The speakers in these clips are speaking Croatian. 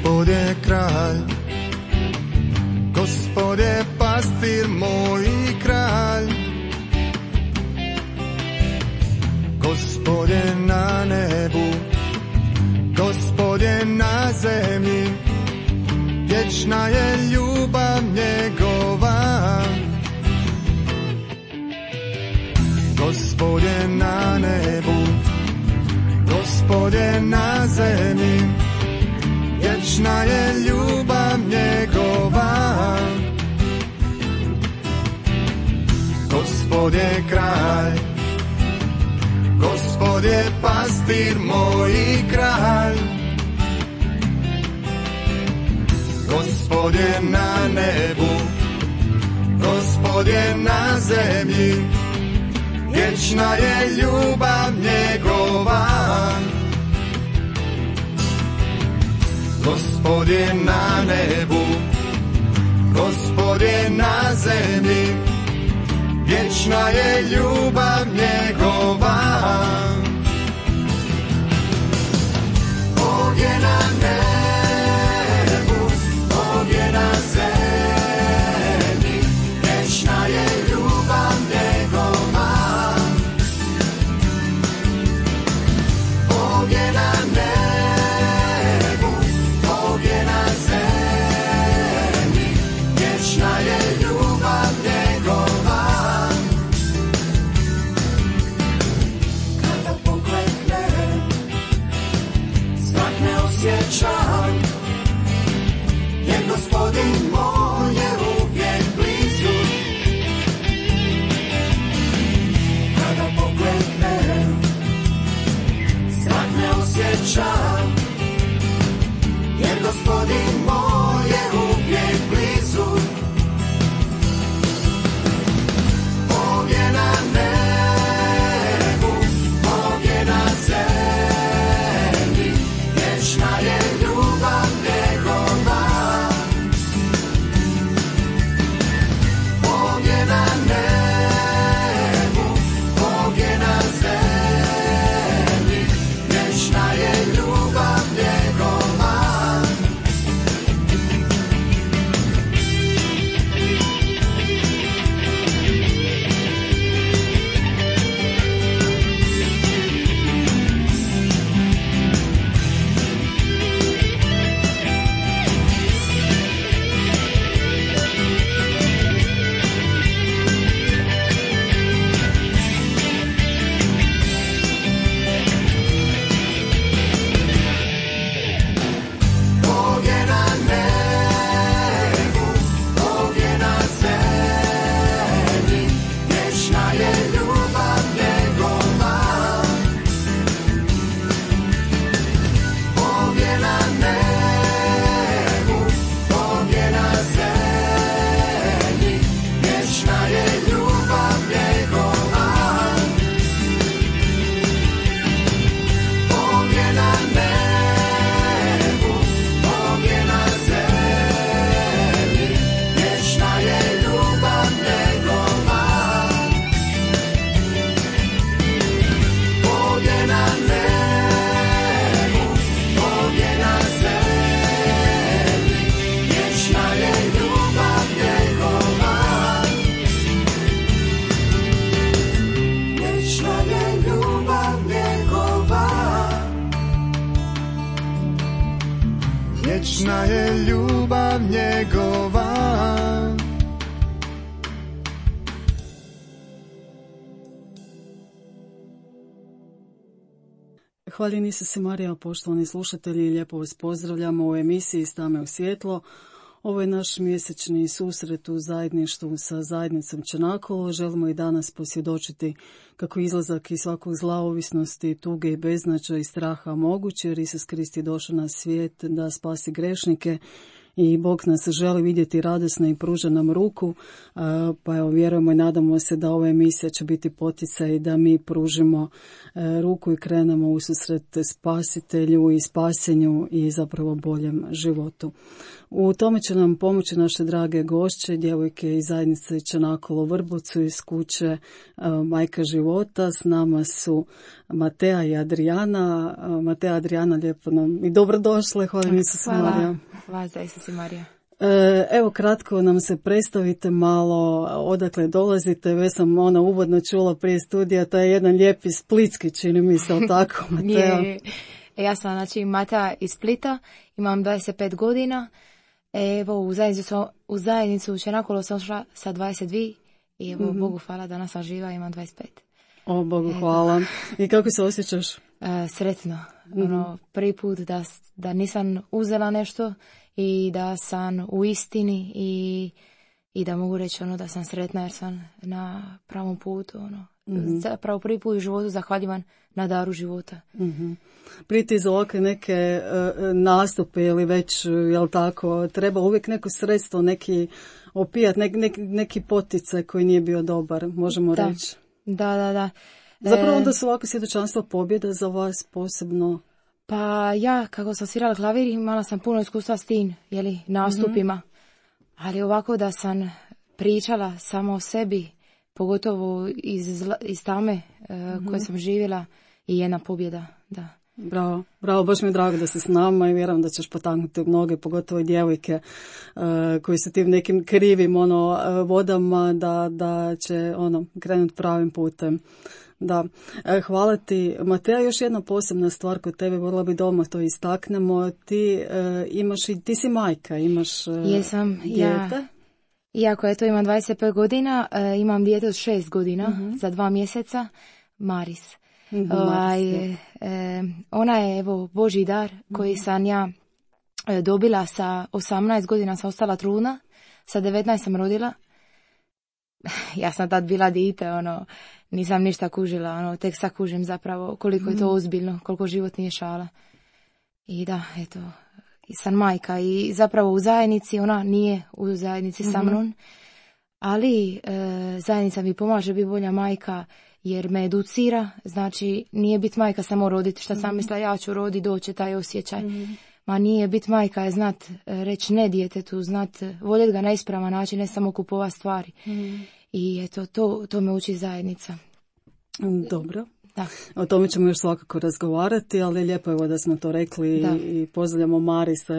Gospod je kralj, Gospod je pastir moj i kralj. Gospod je na nebu, Gospod je na zemlji, vječna je ljubav njegova. Gospod je na nebu, Gospod je na zemlji, vječna je ljubav njegova. Gospod je kralj, Gospod je pastir moj i kralj. Gospod je na nebu, Gospod je na zemlji, vječna je ljubav njegova. Gospod je na nebu, Gospod je na zemlji, vječna je ljubav njegova. Bog je na nebu, Bog je na zemlji, vječna je ljubav njegova. Bog je na nebu, Bog je na zemlji, vječna je ljubav njegova. Kada pokleknem, strah ne osjećam, jer Gospodin moj je uvijek blizu. Kada pokleknem, strah ne osjećam, jer Gospodin moj je uvijek blizu. Bog je na nebu, Bog je na zemlji, vječna je ljubav njegova. Bog je na nebu, Bog je na zemlji, vječna je ljubav njegova. Bog je na nebu, Bog je na zemlji, vječna je ljubav njegova. Bog je na nebu, Bog je na zemlji, vječna je ljubav njegova. Bog je na nebu, Bog je na zemlji, vječna je ljubav njegova. Bog je na nebu, Bog je na zemlji, vječna je ljubav njegova. Vječna je ljubav njegova. Vječna je ljubav njegova. Hvaljeni se Marija, poštovani slušatelji, lijepo vas pozdravljamo u emisiji Stame u svjetlo. Ovo je naš mjesečni susret u zajedništvu sa zajednicom Čanakolo. Želimo i danas posvjedočiti kako izlazak iz svakog zla, ovisnosti, tuge i beznađa i straha moguće, jer Isus Krist je došao na svijet da spasi grešnike i Bog nas želi vidjeti radosno i pruža nam ruku, pa evo vjerujemo i nadamo se da ova emisija će biti poticaj da mi pružimo ruku i krenemo u susret spasitelju i spasenju i zapravo boljem životu. U tome će nam pomoći naše drage gošće, djevojke iz zajednice Čanakolo u Vrbovcu iz kuće Majka života. S nama su Matea i Adriana. Matea, Adriana, lijepo nam i dobrodošle. Hvala Isusu Marija. Hvala za Isusu Marija. Evo kratko nam se predstavite malo, odakle dolazite. Već sam uvodno čula prije studija, to je jedan lijepi splitski, čini mi se, tako, Matea? Ja sam Matea iz Splita, imam 25 godina. Evo, u zajednicu u Čanakolo sam šla sa 22 i evo, Bogu hvala, danas sam živa, imam 25. O, Bogu hvala. I kako se osjećaš? Sretno. Prvi put da nisam uzela nešto i da sam u istini i da mogu reći da sam sretna jer sam na pravom putu. Zapravo prvi put u životu zahvaljivan na daru života. Prije ti za ovakve neke nastupe ili već, jel tako, treba uvijek neko sredstvo, neki opijat, neki poticaj koji nije bio dobar, možemo reći. Da. Zapravo onda su ovako svjedočanstva pobjeda za vas posebno. Pa ja, kako sam svirala klavir, imala sam puno iskustva s tim, nastupima. Ali ovako da sam pričala samo o sebi, pogotovo iz tame koje sam živjela, i jedna pobjeda, da. Bravo, baš mi je drago da si s nama i vjerujem da ćeš potaknuti mnoge, pogotovo djevojke koji su tim nekim krivim vodama da će krenuti pravim putem. Da, hvala ti. Matea, još jedna posebna stvar kod tebe, voljela bi doma to istaknemo. Ti si majka, imaš Jesam, dijete. Iako imam 25 godina, imam dijete od 6 godina, za 2 mjeseca, Maris. Ona je Božji dar koji sam ja dobila sa 18 godina, sam ostala trudna, sa 19 sam rodila. Ja sam tad bila dijete, nisam ništa kužila, tek sad kužim zapravo koliko je to ozbiljno, koliko život nije šala. I da, sam majka i zapravo u zajednici, ona nije u zajednici sa mnom, ali zajednica mi pomaže biti bolja majka jer me educira, znači nije biti majka samo roditi, što sam mislila ja ću roditi, doće taj osjećaj. Ma nije biti majka je znat reći ne djetetu, znat voljeti ga na ispravan način, ne samo kupova stvari. I to me uči zajednica. Dobro. Da. O tome ćemo još svakako razgovarati, ali lijepo je da smo to rekli i pozdravljamo Marisa,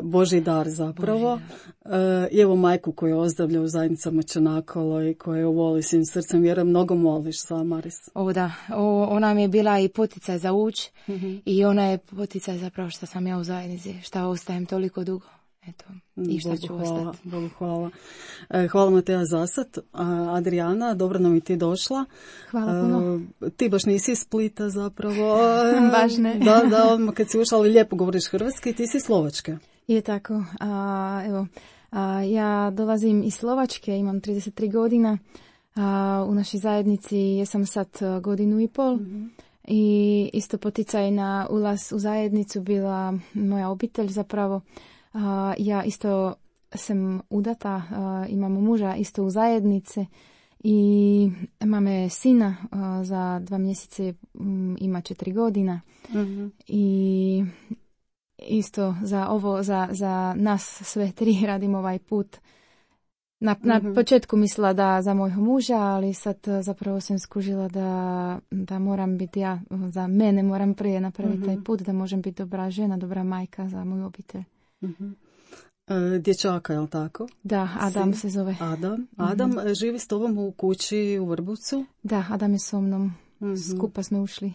Božji dar zapravo. I evo majku koju ozdravlja u zajednicama Čanakolo i koju voli svim srcem, vjerujem mnogo moliš sa Maris. Ona mi je bila i poticaj za uć i ona je poticaj zapravo što sam ja u zajednici, što ostajem toliko dugo. I šta ću ostati. Bogu hvala. Hvala Matea za sad. Adriana, dobro nam i ti došla. Hvala puno. Ti baš nisi iz Splita zapravo. Baš ne. Da, odmah kad si ušla, ali lijepo govoriš hrvatski, ti si iz Slovačke. Je tako. Ja dolazim iz Slovačke, imam 33 godina. U našoj zajednici jesam sad 1.5 godinu. I isto poticaj na ulaz u zajednicu bila moja obitelj zapravo. Ja isto sam udata, imam muža isto u zajednici i imame sina za 2 mjesece, ima 4 godina. I isto za nas sve 3 radim ovaj put. Na početku mislila da za mojeg muža, ali sad zapravo sam skužila da moram biti ja, za mene moram prije napraviti taj put, da možem biti dobra žena, dobra majka za moju obitelj. Dječaka, je li tako? Da, Adam se zove. Adam živi s tobom u kući u Vrbovcu? Da, Adam je so mnom. Skupa smo ušli.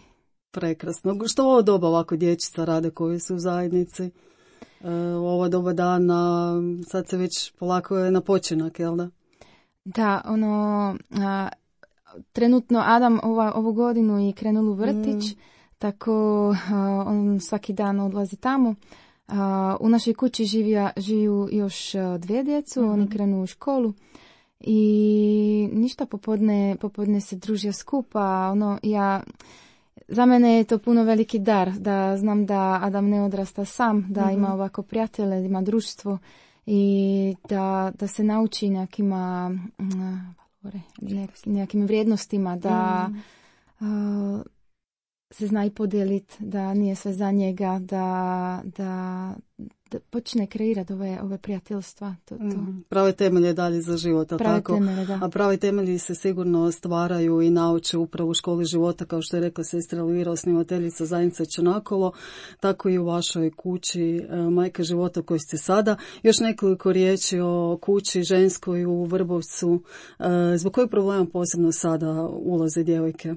Prekrasno. Što ovo doba ovako dječica rade koji su u zajednici? Ovo doba dana, sad se već polako je na počinak, jel da? Da, trenutno Adam ovu godinu je krenul u vrtić, tako on svaki dan odlazi tamo. U našoj kući žiju još 2 djecu, oni krenu u školu i ništa popodne se družio skupa. za mene je to puno veliki dar, da znam da Adam ne odrasta sam, da ima ovako prijatelje, ima društvo i da se nauči nekim vrijednostima, da se zna i podijeliti, da nije sve za njega, da počne kreirati ove prijateljstva. Prave temelje dalje za život, tako? Temelje, da. A pravi temelji se sigurno stvaraju i nauče upravo u školi života, kao što je rekla sestra Elvira, osnivateljica zajednice Čenakolo, tako i u vašoj kući Majke života u kojoj ste sada. Još nekoliko riječi o kući ženskoj u Vrbovcu. Zbog kojeg problema posebno sada ulaze djevojke?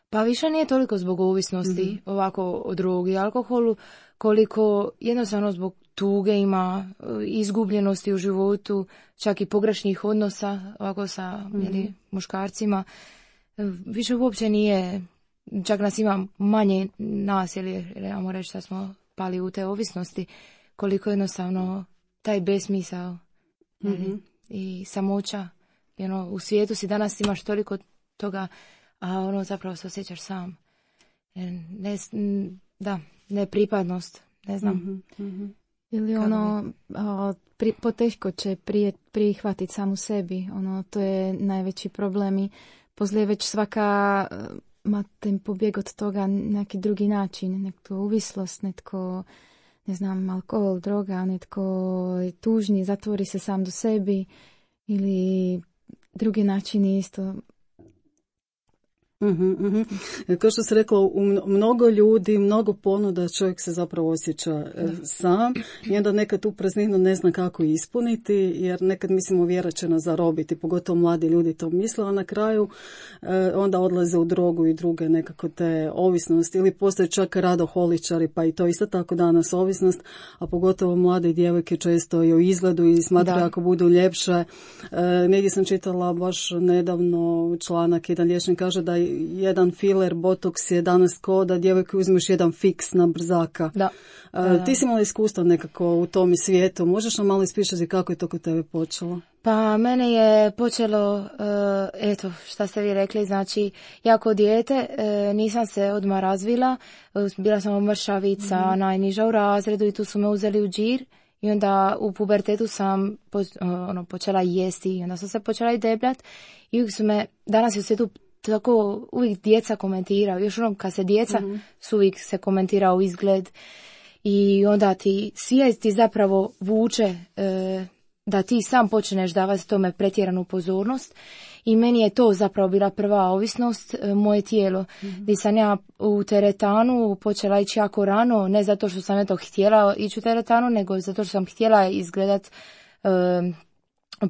Pa više nije toliko zbog ovisnosti, ovako o drogi i alkoholu, koliko jednostavno zbog tuge ima, izgubljenosti u životu, čak i pogrešnih odnosa ovako sa muškarcima. Više uopće nije, čak nas ima manje nas, jer trebamo reći da smo pali u te ovisnosti, koliko jednostavno taj besmisao i samoća. U svijetu si danas imaš toliko toga, a zapravo se osjećaš sam. Nepripadnost, ne znam. Ili poteško će prihvatiti samu sebi. To je najveći problem i poslije već svaka ima ten pobjeg od toga neki drugi način. Netko uvislost, netko, ne znam, alkohol, droga, netko je tužni, zatvori se sam do sebi ili drugi načini isto. Kao što se rekla, u mnogo ljudi, mnogo ponuda, čovjek se zapravo osjeća sam i onda nekad tu prazninu ne zna kako ispuniti, jer nekad mislimo vjera će nas zarobiti, pogotovo mladi ljudi to misle, a na kraju onda odlaze u drogu i druge nekako te ovisnosti, ili postaju čak radoholičari, pa i to isto tako danas ovisnost, a pogotovo mlade djevojke često i o izgledu i smatraju ako budu ljepše. Negdje sam čitala baš nedavno članak, jedan liječnik kaže da jedan filer, botoks je danas ko da djevojke uzmeš jedan fiks na brzaka. Ti si imala iskustva nekako u tom svijetu. Možeš nam malo ispričati kako je to kod tebe počelo? Pa mene je počelo, šta ste vi rekli, znači ja kao dijete nisam se odmah razvila, bila sam mršavica, najniža u razredu i tu su me uzeli u džir. I onda u pubertetu sam počela jesti i onda sam se počela i debljat i uvijek su me, danas je u svijetu tako uvijek djeca komentiraju, još kad se djeca su uvijek se komentirao izgled i onda ti svijest ti zapravo vuče da ti sam počneš davati tome pretjeranu pozornost i meni je to zapravo bila prva ovisnost, moje tijelo. Gdje sam ja u teretanu počela ići jako rano, ne zato što sam htjela ići u teretanu, nego zato što sam htjela izgledat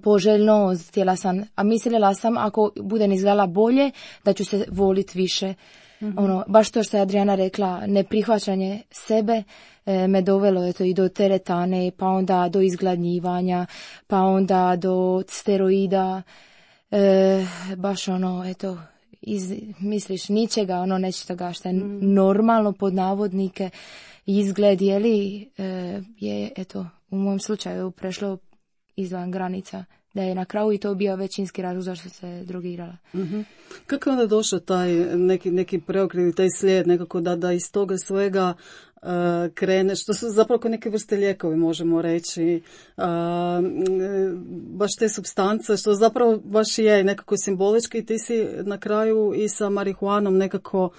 poželjno, a mislila sam ako budem izgledala bolje da ću se volit više. Baš to što je Adriana rekla, neprihvaćanje sebe me dovelo i do teretane, pa onda do izgladnjivanja, pa onda do steroida, baš misliš ničega, nečega što je normalno pod navodnike, izgled je u mom slučaju prešlo izvan granica, da je na kraju i to bio većinski razlog zašto se drogirala. Kako je onda došao taj neki preokret, taj slijed nekako da iz toga svega krene, što su zapravo neke vrste lijekovi, možemo reći, baš te supstance, što zapravo baš je nekako simbolički, ti si na kraju i sa marihuanom nekako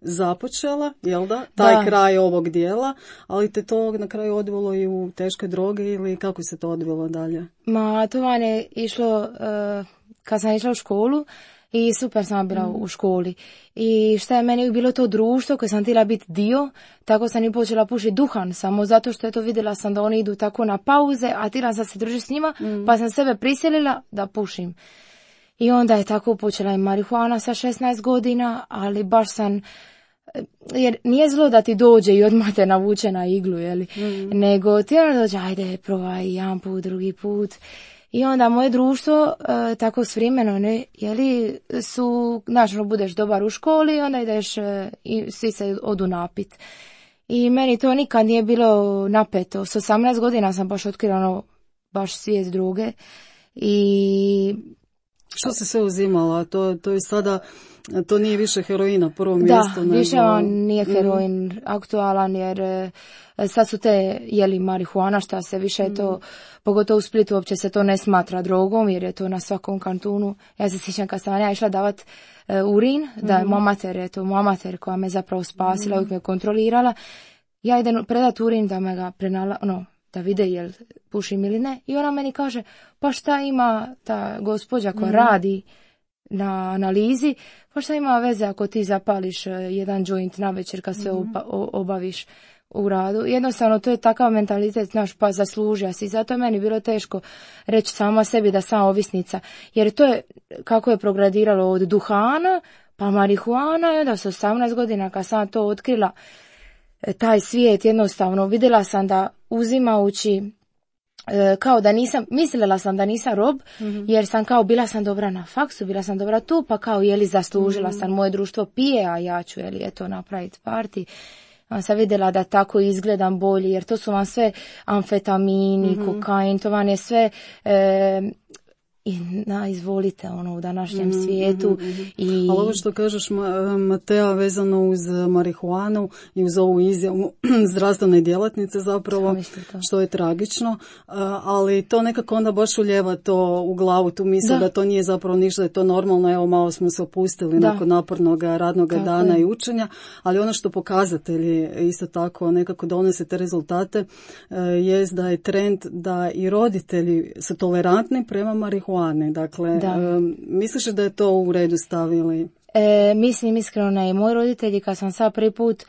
započela, jel da? Taj kraj ovog dijela, ali te to na kraju odvelo i u teške droge ili kako se to odvelo dalje? To vam je išlo kad sam išla u školu i super sam bila u školi. I što je meni bilo to društvo koje sam htjela biti dio, tako sam i počela pušiti duhan, samo zato što vidjela sam da oni idu tako na pauze, a htjela sam se družiti s njima, pa sam sebe prisilila da pušim. I onda je tako počela i marihuana sa 16 godina, ali baš sam, jer nije zlo da ti dođe i odmah te navuče na iglu, nego ti onda dođe, ajde, probaj jedan put, drugi put. I onda moje društvo, tako s vremenom, su, budeš dobar u školi i onda ideš i svi se odu napit. I meni to nikad nije bilo napeto. S 18 godina sam baš otkrila baš svijet droge i Što se sve uzimala? To je sada, to nije više heroina prvo mjesto. Da, više nije heroin aktualan jer sad su te jeli marihuana šta se više to, pogotovo u Splitu uopće se to ne smatra drogom jer je to na svakom kantunu. Ja se sjećam kad sam ja išla davat urin, da je moja mater koja me zapravo spasila, uvijek me kontrolirala. Ja idem predat urin da me ga da vide jel pušim ili ne. I ona meni kaže, pa šta ima ta gospođa koja radi na analizi, pa šta ima veze ako ti zapališ jedan joint na večer kad se obaviš u radu. Jednostavno to je takav mentalitet, znaš, pa zaslužio si. Zato je meni bilo teško reći sama sebi da sam ovisnica. Jer to je, kako je progradiralo od duhana, pa marihuana i onda s 18 godina kad sam to otkrila, taj svijet jednostavno, vidjela sam da uzimajući kao da nisam, mislila sam da nisam rob, jer sam kao bila sam dobra na faksu, bila sam dobra tu, pa kao jeli zaslužila sam, moje društvo pije, a ja ću jeli eto napraviti party. Sam vidjela da tako izgledam bolje, jer to su vam sve amfetamini, kokain, to vam je sve izvolite u današnjem svijetu. Ali ovo što kažeš, Matea, vezano uz marihuanu i uz ovu izjavu zdravstvene djelatnice zapravo, što je tragično, ali to nekako onda baš uljeva to u glavu, tu misle da to nije zapravo ništa, da je to normalno, evo malo smo se opustili nakon napornog radnog dana i učenja, ali ono što pokazatelji isto tako nekako donose te rezultate jest da je trend da i roditelji su tolerantni prema marihuani. Dakle, misliš da je to u redu stavili? Mislim iskreno ne. Moji roditelji kad sam sad prvi put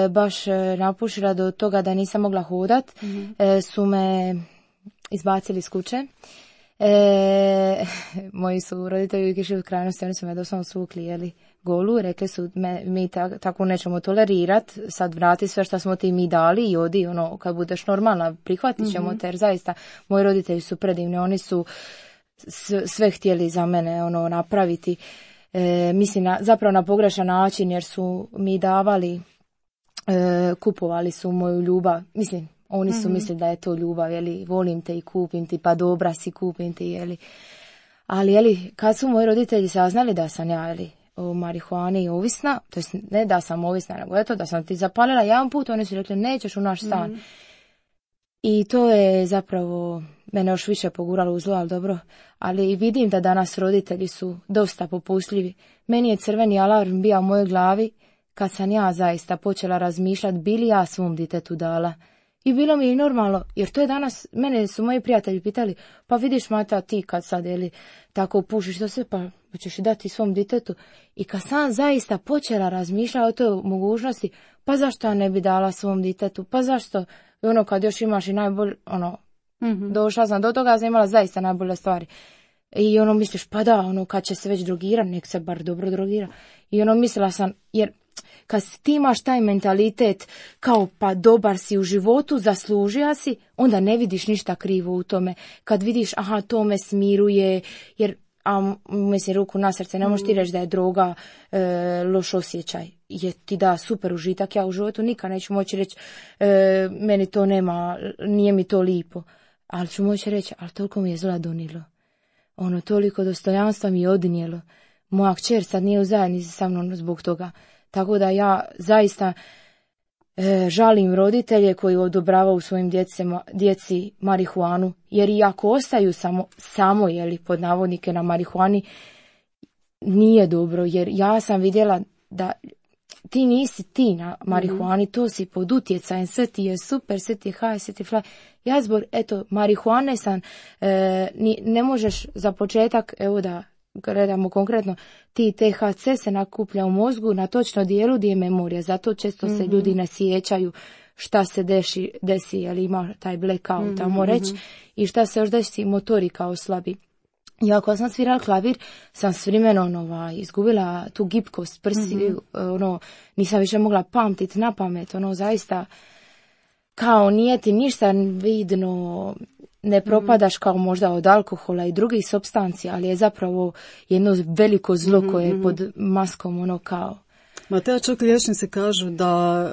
baš napušila do toga da nisam mogla hodat, su me izbacili iz kuće. Moji su roditelji uvijek išli u krajnosti, oni su me doslovno svukli golu, rekli su mi tako nećemo tolerirati, sad vrati sve što smo ti mi dali i odi, kad budeš normalna prihvatit ćemo te, jer zaista moji roditelji su predivni, oni su sve htjeli za mene napraviti, mislim zapravo na pogrešan način, jer su mi davali, kupovali su moju ljubav, mislim oni su mislili da je to ljubav, volim te i kupim ti, pa dobra si, kupim ti, ali kad su moji roditelji saznali da sam ja o marihuani ovisna, to jest ne da sam ovisna, nego eto da sam ti zapalila jedan put, oni su rekli nećeš u naš stan. I to je zapravo mene još više poguralo u zlo, ali dobro. Ali vidim da danas roditelji su dosta popustljivi. Meni je crveni alarm bio u mojoj glavi kad sam ja zaista počela razmišljati bi li ja svom ditetu dala. I bilo mi je normalno, jer to je danas, mene su moji prijatelji pitali, pa vidiš Mata ti kad sad tako pušiš to sve, pa ćeš i dati svom ditetu. I kad sam zaista počela razmišljati o toj mogućnosti, pa zašto ja ne bi dala svom ditetu, pa zašto, i kad još imaš i najbolje, došla sam do toga, sam imala zaista najbolje stvari. I misliš, pa da, kad će se već drogirati, nek se bar dobro drogira. I mislila sam, jer kad ti imaš taj mentalitet kao pa dobar si u životu, zaslužija si, onda ne vidiš ništa krivo u tome. Kad vidiš, aha, to me smiruje, jer, mislim, ruku na srce, ne možeš ti reći da je droga loš osjećaj. Je ti da super užitak, ja u životu nikad neću moći reći, meni to nema, nije mi to lipo. Ali ću moći reći, ali toliko mi je zla donilo. Toliko dostojanstva mi je odnijelo. Moja kćer sad nije u zajednici sa mnom zbog toga. Tako da ja zaista žalim roditelje koji odobravaju svojim djeci marihuanu, jer i ako ostaju samo pod navodnike na marihuani, nije dobro, jer ja sam vidjela da ti nisi ti na marihuani, to si pod utjecajem, sve ti je super, sve ti je haj, sve ti je fly. Ja zbog, marihuane sam, ne možeš za početak, evo da gledamo konkretno, ti THC se nakuplja u mozgu na točno dijelu gdje je memorija, zato često se ljudi ne sjećaju šta se desi, jer ima taj blackout, tamo reći, i šta se još desi, motorika oslabi. Ja ako sam svirala klavir, sam s vremenom izgubila tu gibkost prsi, nisam više mogla pamtiti na pamet, zaista kao nije ti ništa vidno, ne propadaš kao možda od alkohola i drugih supstancija, ali je zapravo jedno veliko zlo koje je pod maskom kao. Ma te čak liječnici kažu da,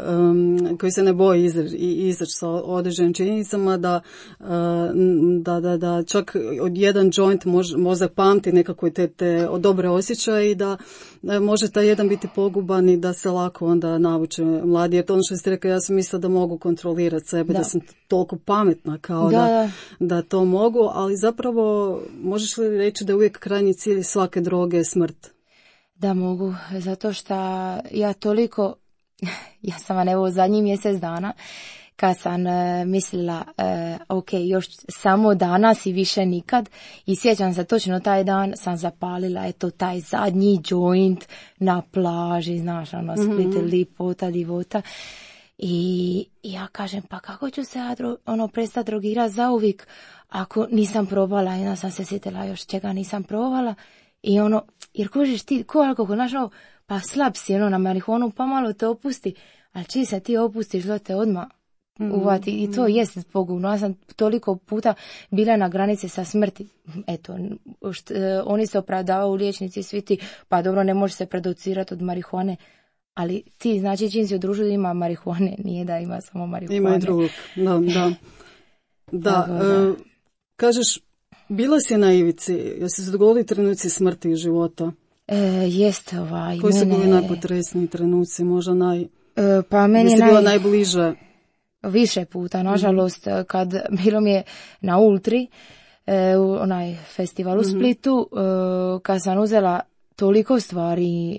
koji se ne boje izaći sa određenim činjenicama, da čak od jedan joint mozak pamti nekako te dobre osjećaje i da može taj jedan biti poguban i da se lako onda navuče mladi. Jer to ono što ste rekli, ja sam mislila da mogu kontrolirati sebe, da sam toliko pametna kao da to mogu, ali zapravo možeš li reći da je uvijek krajnji cilj svake droge je smrt? Da mogu, zato što ja toliko, ja sam vam evo zadnjih mjesec dana, kad sam mislila, ok, još samo danas i više nikad, i sjećam se točno taj dan sam zapalila, eto, taj zadnji joint na plaži, znaš, ono, Split, lipota, divota. I ja kažem, pa kako ću se ja prestati drogirati zauvijek ako nisam probala, i onda sam se sjetila još čega nisam probala. I jer kužiš ti, ko alkohol, znaš, pa slab si, na marihuanu, pa malo te opusti, ali čiji se ti opustiš, da te odmah uvati, i to jest pogubno. Ja sam toliko puta bila na granici sa smrti. Eto, oni se opravdavaju, liječnici, svi ti, pa dobro, ne može se predocirati od marihuane, ali ti, znači, čim si u društvu ima marihuane, nije da ima samo marihuane. Ima i drugog, da. Kažeš, bila si na ivici, jesi se dogodili trenuci smrti i života? Jeste, Koji su bili najpotresniji trenuci, možda pa meni je bila najbliže? Više puta, nažalost, kad bilo mi je na Ultri, onaj festival u Splitu, kad sam uzela toliko stvari,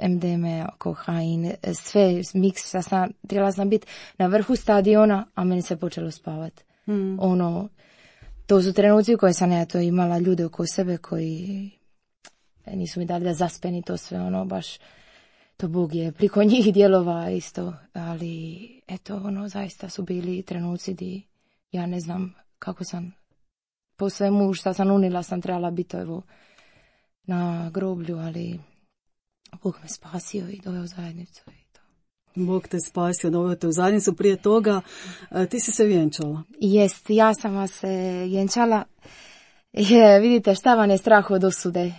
MDMA, kokain, sve miksa, trebala sam biti na vrhu stadiona, a meni se počelo spavati. To su trenuci u koje sam ja to imala ljude oko sebe koji nisu mi dali da zaspeni to sve, baš, to Bog je priko njih djelova isto, ali eto, zaista su bili trenuci di ja ne znam kako sam, po svemu što sam unila sam trebala biti evo na groblju, ali Bog me spasio i doveo u zajednicu. Bog te spasio, doveo te u zajednicu. Prije toga ti si se vjenčala. Jest, ja sam se vjenčala. Vidite, šta vam je strah od osude?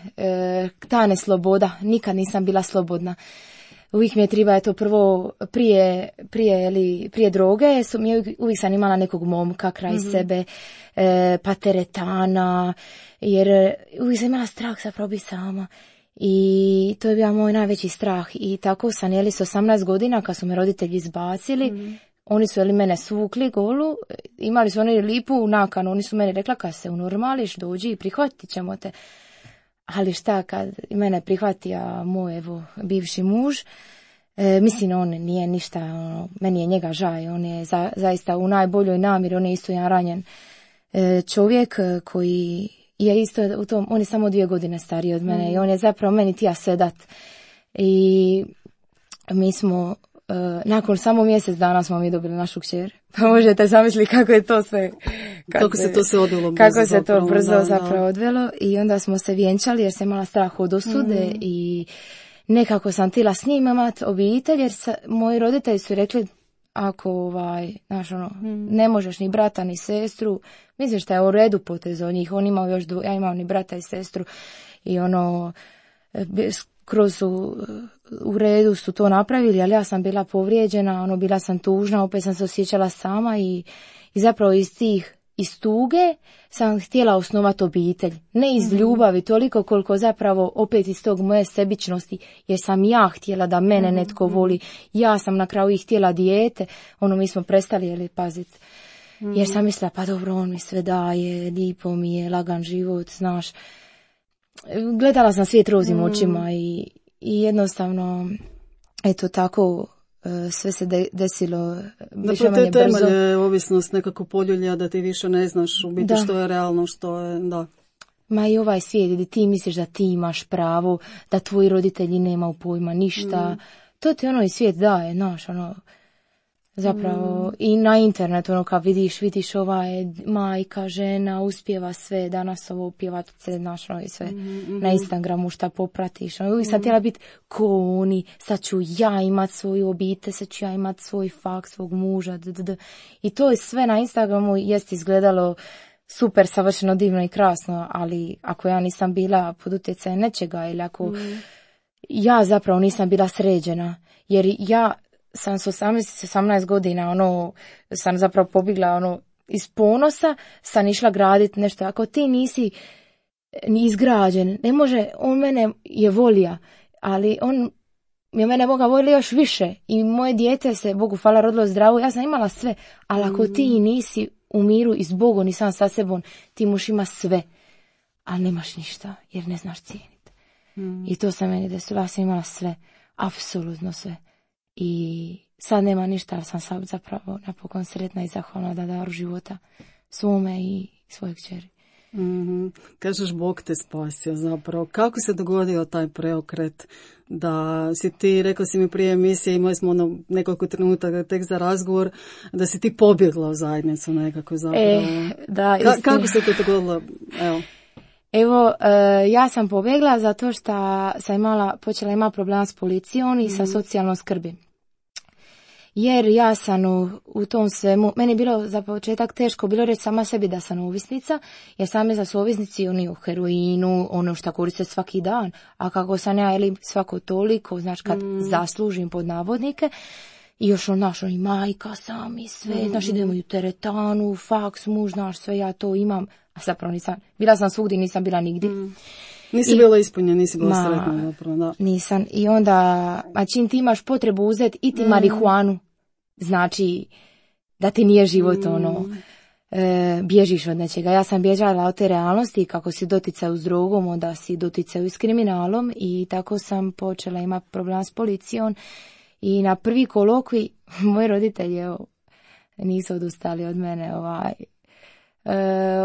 Ta nesloboda. Nikad nisam bila slobodna. Uvijek mi je treba, eto, prvo, prije droge, uvijek sam imala nekog momka kraj sebe, pa teretana, jer uvijek sam imala strah zapravo biti sama. I to je bio moj najveći strah. I tako sam, s 18 godina, kad su me roditelji izbacili, oni su mene svukli golu, imali su oni lipu nakanu, oni su meni rekla, kad se unormališ, dođi i prihvatit ćemo te. Ali šta, kad mene prihvatio moj, bivši muž, mislim, on nije ništa, meni je njega žaj, on je zaista u najboljoj namjeri, on je isto jedan ranjen čovjek koji je isto u tom, on je samo 2 godine stariji od mene i on je zapravo meni tija sedat. I mi smo, nakon samo mjesec dana smo mi dobili našu kćer. Pa možete zamisliti kako je to sve, kako se to sve odvelo brzo. Kako se to brzo zapravo odvelo. I onda smo se vjenčali jer sam imala strah od osude i nekako sam htjela s njim imati obitelj, jer moji roditelji su rekli, ako ne možeš ni brata ni sestru, mislim što je u redu potez od njih, on imao još, ja imam ni brata i sestru i kroz u redu su to napravili, ali ja sam bila povrijeđena, bila sam tužna, opet sam se osjećala sama i zapravo iz tuge sam htjela osnovati obitelj. Ne iz ljubavi, toliko koliko zapravo opet iz tog moje sebičnosti, jer sam ja htjela da mene netko voli. Ja sam na kraju i htjela dijete, mi smo prestali paziti. Jer sam mislila, pa dobro, on mi sve daje, lijepo mi je, lagan život, znaš. Gledala sam svijet rozim očima i jednostavno, eto tako, sve se desilo više manje brzo. Da, temelje ovisnost nekako poljulja da ti više ne znaš u biti što je realno, što je, da. Ma i ovaj svijet gdje ti misliš da ti imaš pravo, da tvoji roditelji nemaju pojma ništa, to ti i svijet daje, znaš, zapravo i na internetu, kad vidiš ova je majka, žena, uspjeva sve, danas ovo pjevat, znaš, i sve na Instagramu šta popratiš. Uvijek sam htjela biti ko oni, sad ću ja imat svoju obitelj, sad ću ja imat svoj faks, svog muža, i to je sve na Instagramu jest izgledalo super, savršeno, divno i krasno, ali ako ja nisam bila pod utjecajem nečega ili ako ja zapravo nisam bila sređena, jer ja sam s 18 godina, sam zapravo pobjegla, iz ponosa sam išla graditi nešto. Ako ti nisi ni izgrađen, ne može, on mene je volija, ali on je mene Boga volio još više i moje dijete se, Bogu hvala, rodilo zdravo, ja sam imala sve, ali ako ti nisi u miru i s Bogom i sam sa sebom, ti možeš ima sve, ali nemaš ništa, jer ne znaš cijeniti. I to se meni desilo, ja sam imala sve, apsolutno sve. I sad nema ništa, ali sam sad zapravo napokon sretna i zahvalna da daru života svome i svoje kćeri. Kažeš, Bog te spasio zapravo. Kako se dogodio taj preokret da si ti, rekla si mi prije emisije, imali smo nekoliko trenutaka tek za razgovor, da si ti pobjegla u zajednicu nekako zapravo. Da, kako se to dogodilo? Evo, ja sam pobjegla zato što sam počela imati problema s policijom i sa socijalnom skrbi. Jer ja sam u tom svemu, meni je bilo za početak teško bilo reći sama sebi da sam ovisnica, jer same za su ovisnici oni u heroinu, ono što koriste svaki dan, a kako sam ja svako toliko, znači kad zaslužim pod navodnike, i još i majka sam i sve, znaš, idemo i u teretanu, faks, muž, znaš, sve ja to imam, a zapravo nisam, bila sam svugdje, nisam bila nigdje. Nisi bila ispunjena, nisi bila sretna zapravo, da. Nisam, i onda, a čim ti imaš potrebu uzeti i ti marihuanu, znači da ti nije život bježiš od nečega. Ja sam bježala od te realnosti, kako si doticaju s drogom, onda si doticaju s kriminalom i tako sam počela imati problem s policijom i na prvi kolokvi moji roditelji nisu odustali od mene.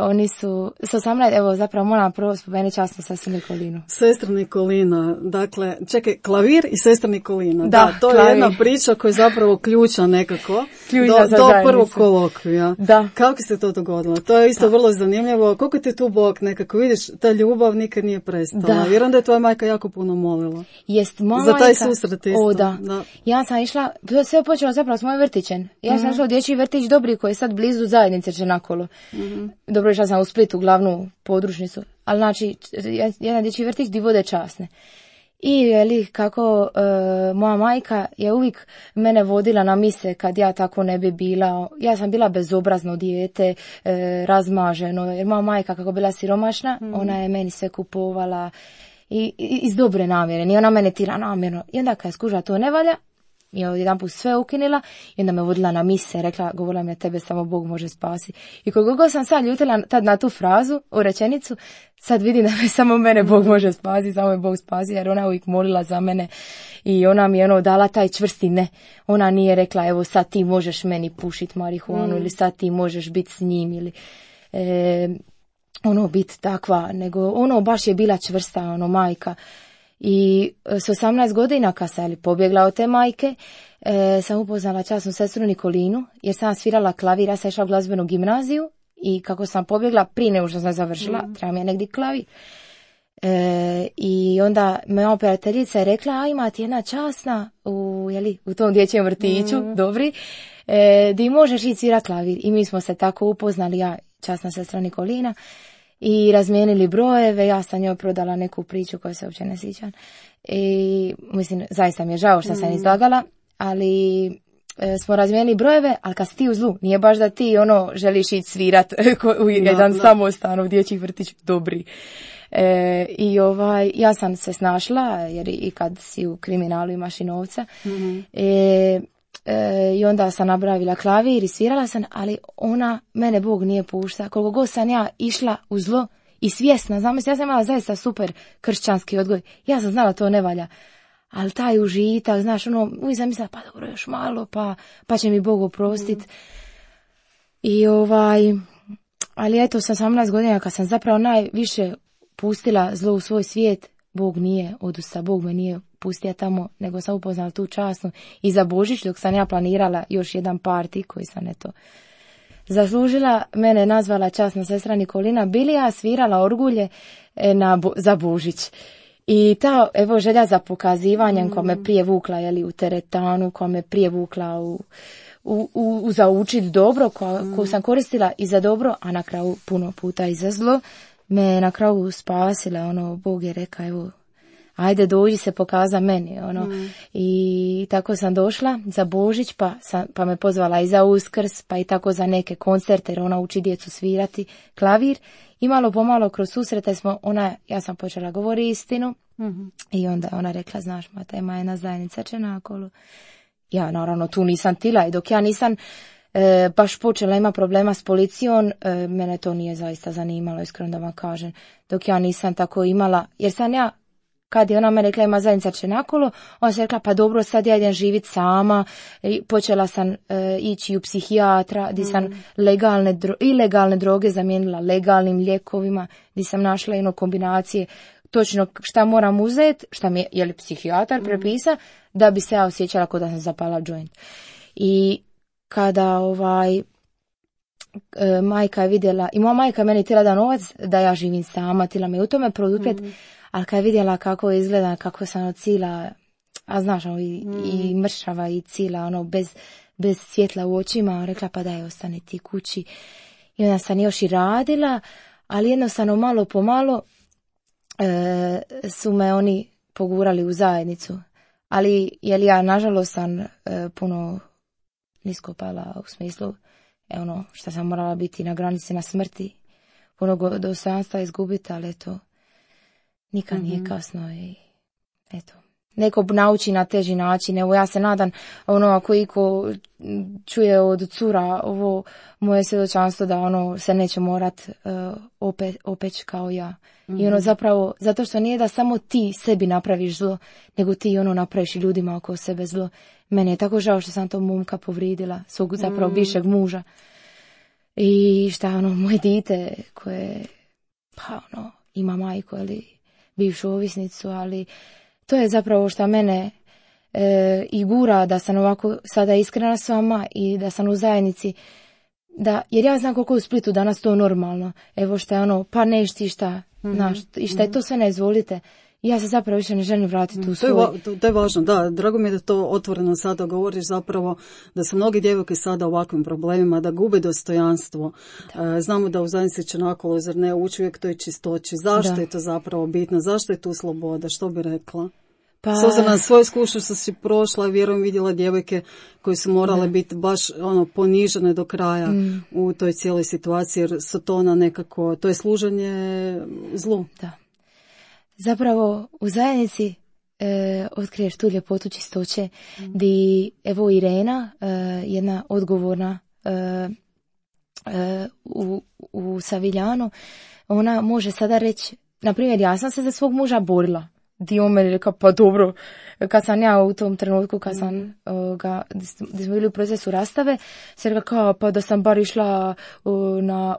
Oni su s 18, evo zapravo moram prvo spomenuti časno sestru Nikolinu. Sestra Nikolina, dakle, čekaj, klavir i sestra Nikolina. Da, to klavir. Je jedna priča koja je zapravo ključa nekako do prvog kolokvija. Da. Kako se to dogodilo? To je isto vrlo zanimljivo. Koliko te tu Bog nekako, vidiš, ta ljubav nikad nije prestala. Jer onda je tvoja majka jako puno molila. Jest, moja za taj majka, susret isto. Da. Ja sam išla, sve je počelo zapravo s mojim vrtićem. Ja sam išla u dječji vrtić Dobri koji je sad blizu zajednice Čenakolo. Dobro, išla sam u Splitu, glavnu podružnicu, ali znači jedan dječji vrtić di vode časne. I kako moja majka je uvijek mene vodila na mise kad ja tako ne bi bila. Ja sam bila bezobrazno dijete, razmaženo, jer moja majka kako bila siromašna, ona je meni sve kupovala i iz dobre namjere, nije ona mene tira namjerno. I onda kad je skužila to ne valja, i jedan put sve ukinila i onda me vodila na mise, govorila mi, tebe samo Bog može spasiti. I koliko sam sad ljutila tad na tu frazu, u rečenicu, sad vidim da me samo mene Bog može spasiti, samo me Bog spasi, jer ona uvijek molila za mene i ona mi je dala taj čvrsti ne. Ona nije rekla, evo sad ti možeš meni pušiti marihuanu ili sad ti možeš biti s njim ili biti takva, nego baš je bila čvrsta, majka. I s 18 godina kad sam pobjegla od te majke, sam upoznala časnu sestru Nikolinu, jer sam svirala klavir, ja sam išla u glazbenu gimnaziju i kako sam pobjegla, prije nego što sam završila, treba mi je negdje klavir. I onda moja operaterica je rekla, a ima ti jedna časna u tom dječjem vrtiću, Dobri, di možeš ići svirati klavir. I mi smo se tako upoznali, ja, časna sestra Nikolina, i razmijenili brojeve, ja sam njoj prodala neku priču koju se uopće ne sjećam. I mislim, zaista mi je žao što sam izlagala, ali smo razmijenili brojeve, ali kad si ti u zlu, nije baš da ti želiš ići svirat u jedan samostan u dječjih vrtić Dobri. I ja sam se snašla, jer i kad si u kriminalu imaš i novca. I onda sam nabravila klavir i svirala sam, ali ona mene Bog nije pušta. Koliko god sam ja išla u zlo i svjesna, zamisli, ja sam imala zaista super kršćanski odgoj, ja sam znala to ne valja, ali taj užitak, znaš, uvijek sam mislila, pa dobro, još malo, pa će mi Bog oprostiti. I ali eto, sa 18 godina kad sam zapravo najviše pustila zlo u svoj svijet, Bog nije odustao, Bog me nije pustio tamo, nego sam upoznala tu časnu i za Božić, dok sam ja planirala još jedan parti koji sam zaslužila, mene nazvala časna sestra Nikolina, bili ja svirala orgulje za Božić. I ta želja za pokazivanjem koja me prije vukla u teretanu, koja me prije vukla za učit dobro, koju sam koristila i za dobro, a na kraju puno puta i za zlo, me na kraju spasila. Bog je rekao, ajde dođi se pokaza meni, ono. I tako sam došla za Božić, pa me pozvala i za Uskrs, pa i tako za neke koncerte, jer ona uči djecu svirati klavir. I malo pomalo kroz susrete ja sam počela govoriti istinu. I onda je ona rekla, znaš, Mata, ima jedna zajednica Čenakolu. Ja naravno tu nisam tila i dok ja nisam baš počela ima problema s policijom, mene to nije zaista zanimalo, iskreno da vam kažem. Dok ja nisam tako imala, jer sam ja, kad je ona me rekla ima zajednica Čenakolu, ona se rekla pa dobro sad ja idem živjeti sama, počela sam ići u psihijatra, gdje sam ilegalne droge zamijenila legalnim lijekovima, gdje sam našla jedno kombinacije, točno šta moram uzeti, šta mi je psihijatar prepisa, da bi se ja osjećala kao da sam zapala joint. I kada majka je vidjela, i moja majka meni htjela da novac, da ja živim sama, htjela me u tome produpjet, ali kad je vidjela kako izgleda, kako sam od cila, a znaš, i mršava i cila, bez svjetla u očima, rekla pa daj, ostani ti kući. I onda sam još i radila, ali jednostavno malo po malo su me oni pogurali u zajednicu. Ali jer ja nažalost sam puno nisko pala u smislu što sam morala biti na granici na smrti, puno dostojanstva izgubiti, ali eto, nikad nije kasno i eto. Neko nauči na teži način, evo ja se nadam, ako iko čuje od cura ovo moje svjedočanstvo da se neće morat opeć kao ja. I zapravo, zato što nije da samo ti sebi napraviš zlo, nego ti napraviš i ljudima oko sebe zlo. Meni je tako žao što sam to momka povridila, svog zapravo bivšeg muža. I moje dite koje, ima majku ili bivšu ovisnicu, ali to je zapravo što mene i gura da sam ovako sada iskrena s vama i da sam u zajednici, jer ja znam koliko je u Splitu danas to normalno. Evo šta je pa nešti šta, znaš, i šta je to sve ne izvolite. Ja se zapravo više ne želim vratiti u svoj. To je važno, da. Drago mi je da to otvoreno sada govoriš zapravo, da su mnogi djevojke sada u ovakvim problemima, da gube dostojanstvo. Znamo da u zajednici Čenakolu, zar ne, uči uvijek toj čistoći. Zašto je to zapravo bitno? Zašto je tu sloboda? Što bi rekla? S obzirom na svoju iskušnju što si prošla, vjerujem vidjela djevojke koje su morale biti baš ponižene do kraja u toj cijeloj situaciji, jer su to nekako, to je služenje zlu. Da. Zapravo u zajednici otkriješ tu ljepotu čistoće, gdje evo Irena, jedna odgovorna u Saviljanu, ona može sada reći, na primjer, ja sam se za svog muža borila. Di on meni rekao, pa dobro, kad sam ja u tom trenutku, kad sam gdje smo bili u procesu rastave, se rekao kao, pa da sam bar išla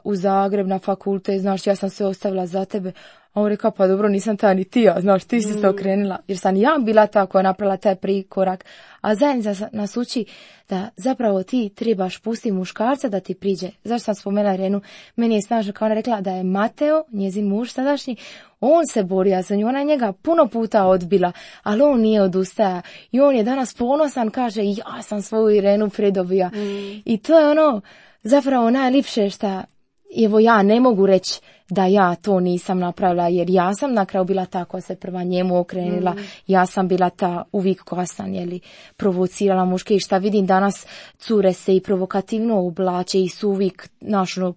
u Zagreb na fakultet, znaš, ja sam sve ostavila za tebe. A on rekao, pa dobro, nisam ta ni ti, ja, znaš, ti si se okrenila, jer sam ja bila ta koja je napravila taj prikorak. A zajednica nas uči da zapravo ti trebaš pustiti muškarca da ti priđe. Zašto sam spomenula Irenu? Meni je snažno kao ona rekla da je Mateo, njezin muž tadašnji, on se borio za nju, ona je njega puno puta odbila, ali on nije odustaja. I on je danas ponosan, kaže, ja sam svoju Irenu pridobija. I to je zapravo najljepše što, evo ja ne mogu reći da ja to nisam napravila, jer ja sam na kraju bila ta koja se prva njemu okrenila, ja sam bila ta uvijek koja sam provocirala muške i šta vidim danas cure se i provokativno oblače i su uvijek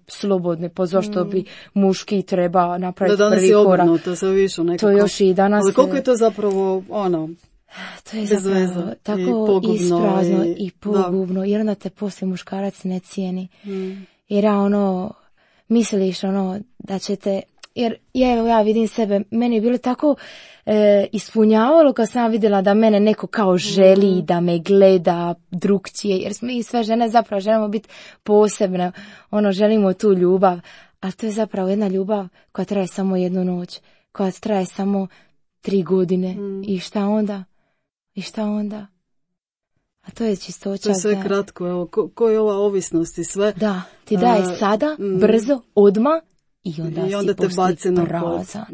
slobodne, po zašto bi muški treba napraviti prvi korak. Danas je obrnuto, se više nekako. To još i danas. Ali koliko je to zapravo to je zapravo tako isprazno i pogubno, jer onda te poslije muškarac ne cijeni. Jer misliš da ćete, jer ja vidim sebe, meni je bilo tako ispunjavalo kad sam vidjela da mene neko kao želi, da me gleda drukčije, jer mi sve žene zapravo želimo biti posebne, želimo tu ljubav, ali to je zapravo jedna ljubav koja traje samo jednu noć, koja traje samo 3 godine i šta onda? A to je čistoća. To je sve kratko, evo, ko je ova ovisnost i sve. Da, ti daje sada, brzo, odmah i onda te baci na prazan.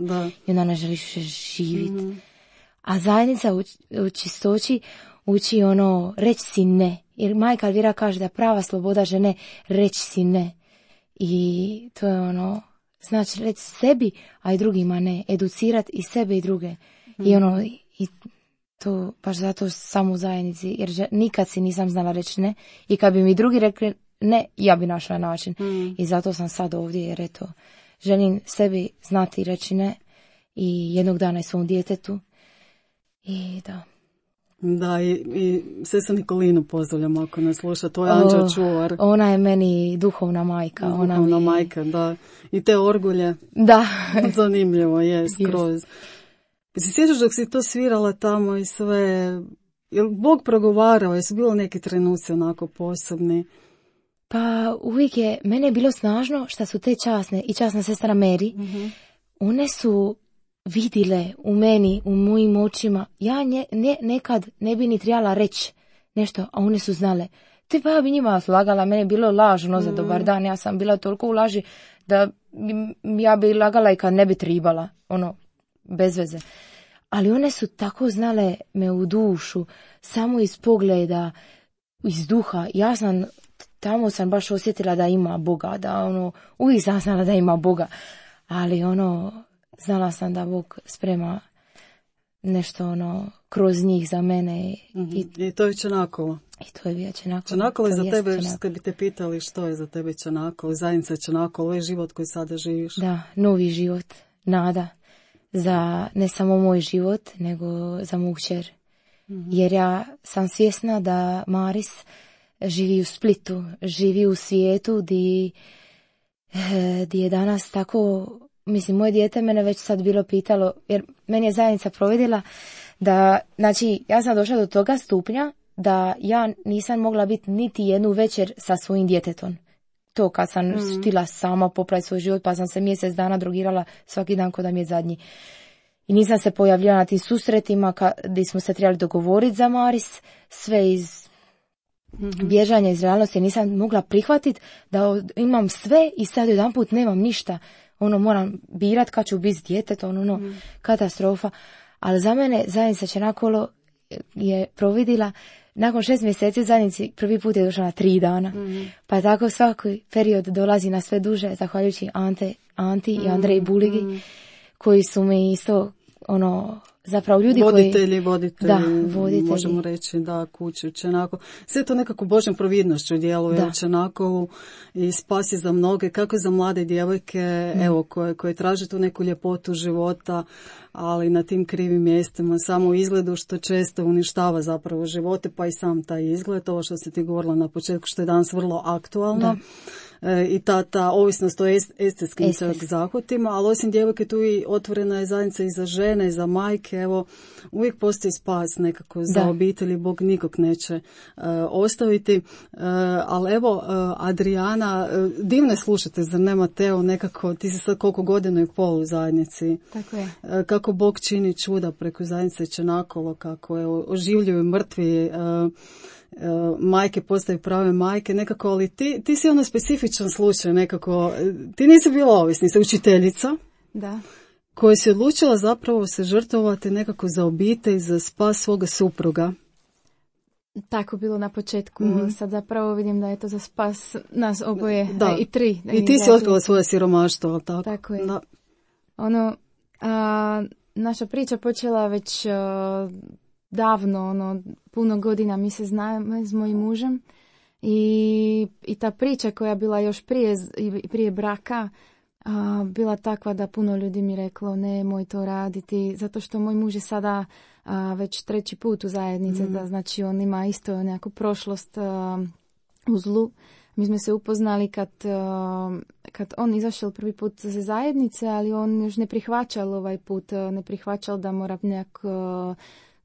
I onda ne želiš živjeti. A zajednica u čistoći uči reći si ne. Jer majka Elvira kaže da prava sloboda žene reći si ne. I to je znači reći sebi, a i drugima ne. Educirati i sebe i druge. I i to baš zato samo u zajednici, jer nikad si nisam znala reći ne i kad bi mi drugi rekli ne, ja bi našla način. I zato sam sad ovdje, jer eto, želim sebi znati reći ne i jednog dana i svom djetetu. I da. Da, i sestra Nikolinu pozdravljam ako nas sluša, to je anđeo čuvar. Ona je meni duhovna majka. Duhovna majka, da. I te orgulje. Da. Zanimljivo je, skroz. Si sjećaš dok si to svirala tamo i sve, je li Bog progovarao, jesu bilo neki trenuci onako posebni? Pa uvijek je, mene je bilo snažno što su te časna sestra Mary, one su vidile u meni, u mojim očima, ja nekad ne bi ni trebala reći nešto, a one su znale. Ti pa bi njima lagala, mene je bilo lažno za dobar dan, ja sam bila toliko u laži da ja bi lagala i kad ne bi tribala, bez veze. Ali one su tako znale me u dušu, samo iz pogleda, iz duha. Ja sam, tamo sam baš osjetila da ima Boga, da uvijek sam znala da ima Boga, ali znala sam da Bog sprema nešto kroz njih za mene. I to je Čanakolo. I to je bio Čanakolo. Čanakolo je za tebe, kad bi te pitali što je za tebe Čanakolo, zajednica Čanakolo, je život koji sada živiš. Da, novi život, nada. Za ne samo moj život, nego za moju kćer. Jer ja sam svjesna da Maris živi u Splitu, živi u svijetu di je danas tako, mislim, moje dijete mene već sad bilo pitalo, jer meni je zajednica provedila da, znači, ja sam došla do toga stupnja da ja nisam mogla biti niti jednu večer sa svojim djetetom. To kad sam htjela sama popraviti svoj život, pa sam se mjesec dana drogirala svaki dan kod da mi je zadnji. I nisam se pojavljala na tim susretima gdje smo se trebali dogovoriti za Maris, sve iz bježanja iz realnosti. Nisam mogla prihvatiti da imam sve i sad jedanput nemam ništa. Moram birat kad ću biti s djetetom, katastrofa. Ali za mene zajednica Čanakolo je providila. Nakon 6 mjeseci zajednici prvi put je došla na 3 dana. Pa tako svaki period dolazi na sve duže, zahvaljujući Anti i Andreji Buligi, koji su mi isto, zapravo ljudi voditelji, Da, voditelji. Možemo reći, da, kuću Čanakolo. Sve to nekako Božjom providnošću djeluje u Čanakolu i spas je za mnoge, kako za mlade djevojke, evo, koje traže tu neku ljepotu života, ali na tim krivim mjestima, samo u izgledu što često uništava zapravo živote, pa i sam taj izgled, ovo što si ti govorila na početku, što je danas vrlo aktualno. I ta ovisnost o estetskim zahvatima, ali osim djevojke tu i otvorena je zajednica i za žene, i za majke, evo, uvijek postoji spas nekako za obitelji, Bog nikog neće ostaviti, ali evo, Adriana, divne slušate, zar ne, Mateo, nekako, ti si sad koliko godina i pol u zajednici. Tako je. Kako Bog čini čuda preko zajednice Čanakolo, kako oživljuju mrtvi, majke postaju prave majke, nekako, ali ti si specifičan slučaj, nekako, ti nisi bila ovisni, si učiteljica, da, koja si odlučila zapravo se žrtvovati nekako za obitelj, za spas svoga supruga. Tako bilo na početku, sad zapravo vidim da je to za spas nas oboje, da. I 3. I ti si otkrila svoje siromaštvo, ali tako? Tako je. Da. Naša priča počela već davno, puno godina mi se znamo s mojim mužem i ta priča koja je bila još prije braka bila takva da puno ljudi mi reklo nemoj to raditi, zato što moj muž je sada već 3. put u zajednici, da znači on ima isto neku prošlost u zlu. Mi smo se upoznali kad on izašao prvi put za zajednice, ali on još ne prihvaćal ovaj put, ne prihvaćal da mora nekako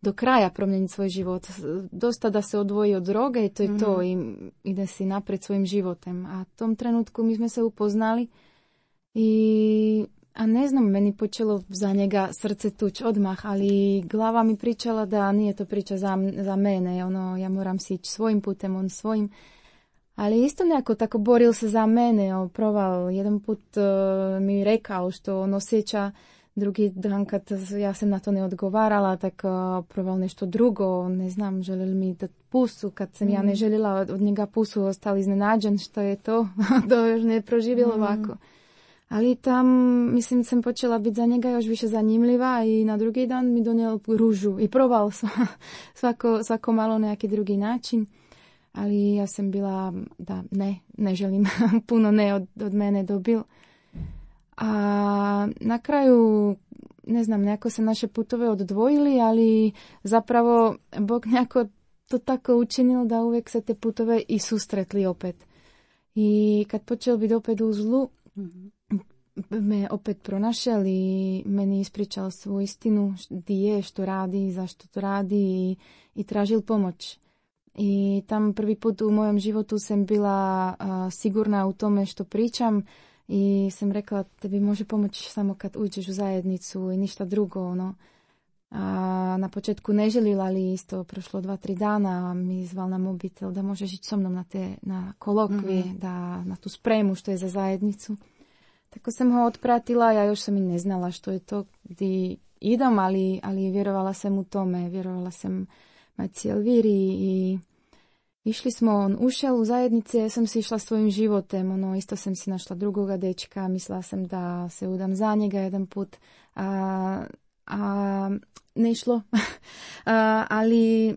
do kraja promijeniti svoj život. Dosta da se odvoji od droge i to je to i ide si naprijed svojim životem. A u tom trenutku mi smo se upoznali a ne znam, meni počelo za njega srce tuć odmah, ali glava mi pričala da nije to priča za mene. Ja moram si ići svojim putem, on svojim. Ali isto nekako tako boril se za mene. Proval jedan put mi rekao što on osjeća. Drugi dan kad ja sam na to ne odgovarala, tak proval nešto drugo, ne znam, želeli mi dati pusu, kad sam ja ne željela od njega pusu, ostali iznenađen što je to, to još ne proživjelo ovako. Ali tam, mislim, sam počela biti za njega još više zanimljiva i na drugi dan mi donijel ružu i probao svako malo na neki drugi način. Ali ja sam bila da ne želim, puno ne od mene dobil. A na kraju, ne znam, nekako se naše putove odvojili, ali zapravo Bog nekako to tako učinil da uvijek se te putove i susretli opet. I kad počeo biti opet u zlu, me opet pronašel i meni ispričal svoju istinu, gdje je, što radi, zašto to radi i tražil pomoć. I tam prvi put u mojem životu sam bila sigurna u tome što pričam i sam rekla, tebi može pomoći samo kad uđeš u zajednicu i ništa drugo. Ono. Na početku ne želila, ali isto prošlo 2-3 dana mi zval na mobitel da možeš ići so mnom na kolokvije, na tu spremu što je za zajednicu. Tako sam ho otpratila, ja još sam i ne znala što je to gdje idem, ali vjerovala sam u tome, vjerovala sam Majci Elviri i išli smo, on ušel u zajednice, ja sam si išla svojim životem, isto sam si našla drugoga dečka, mislila sam da se udam za njega jedan put, ne išlo, ali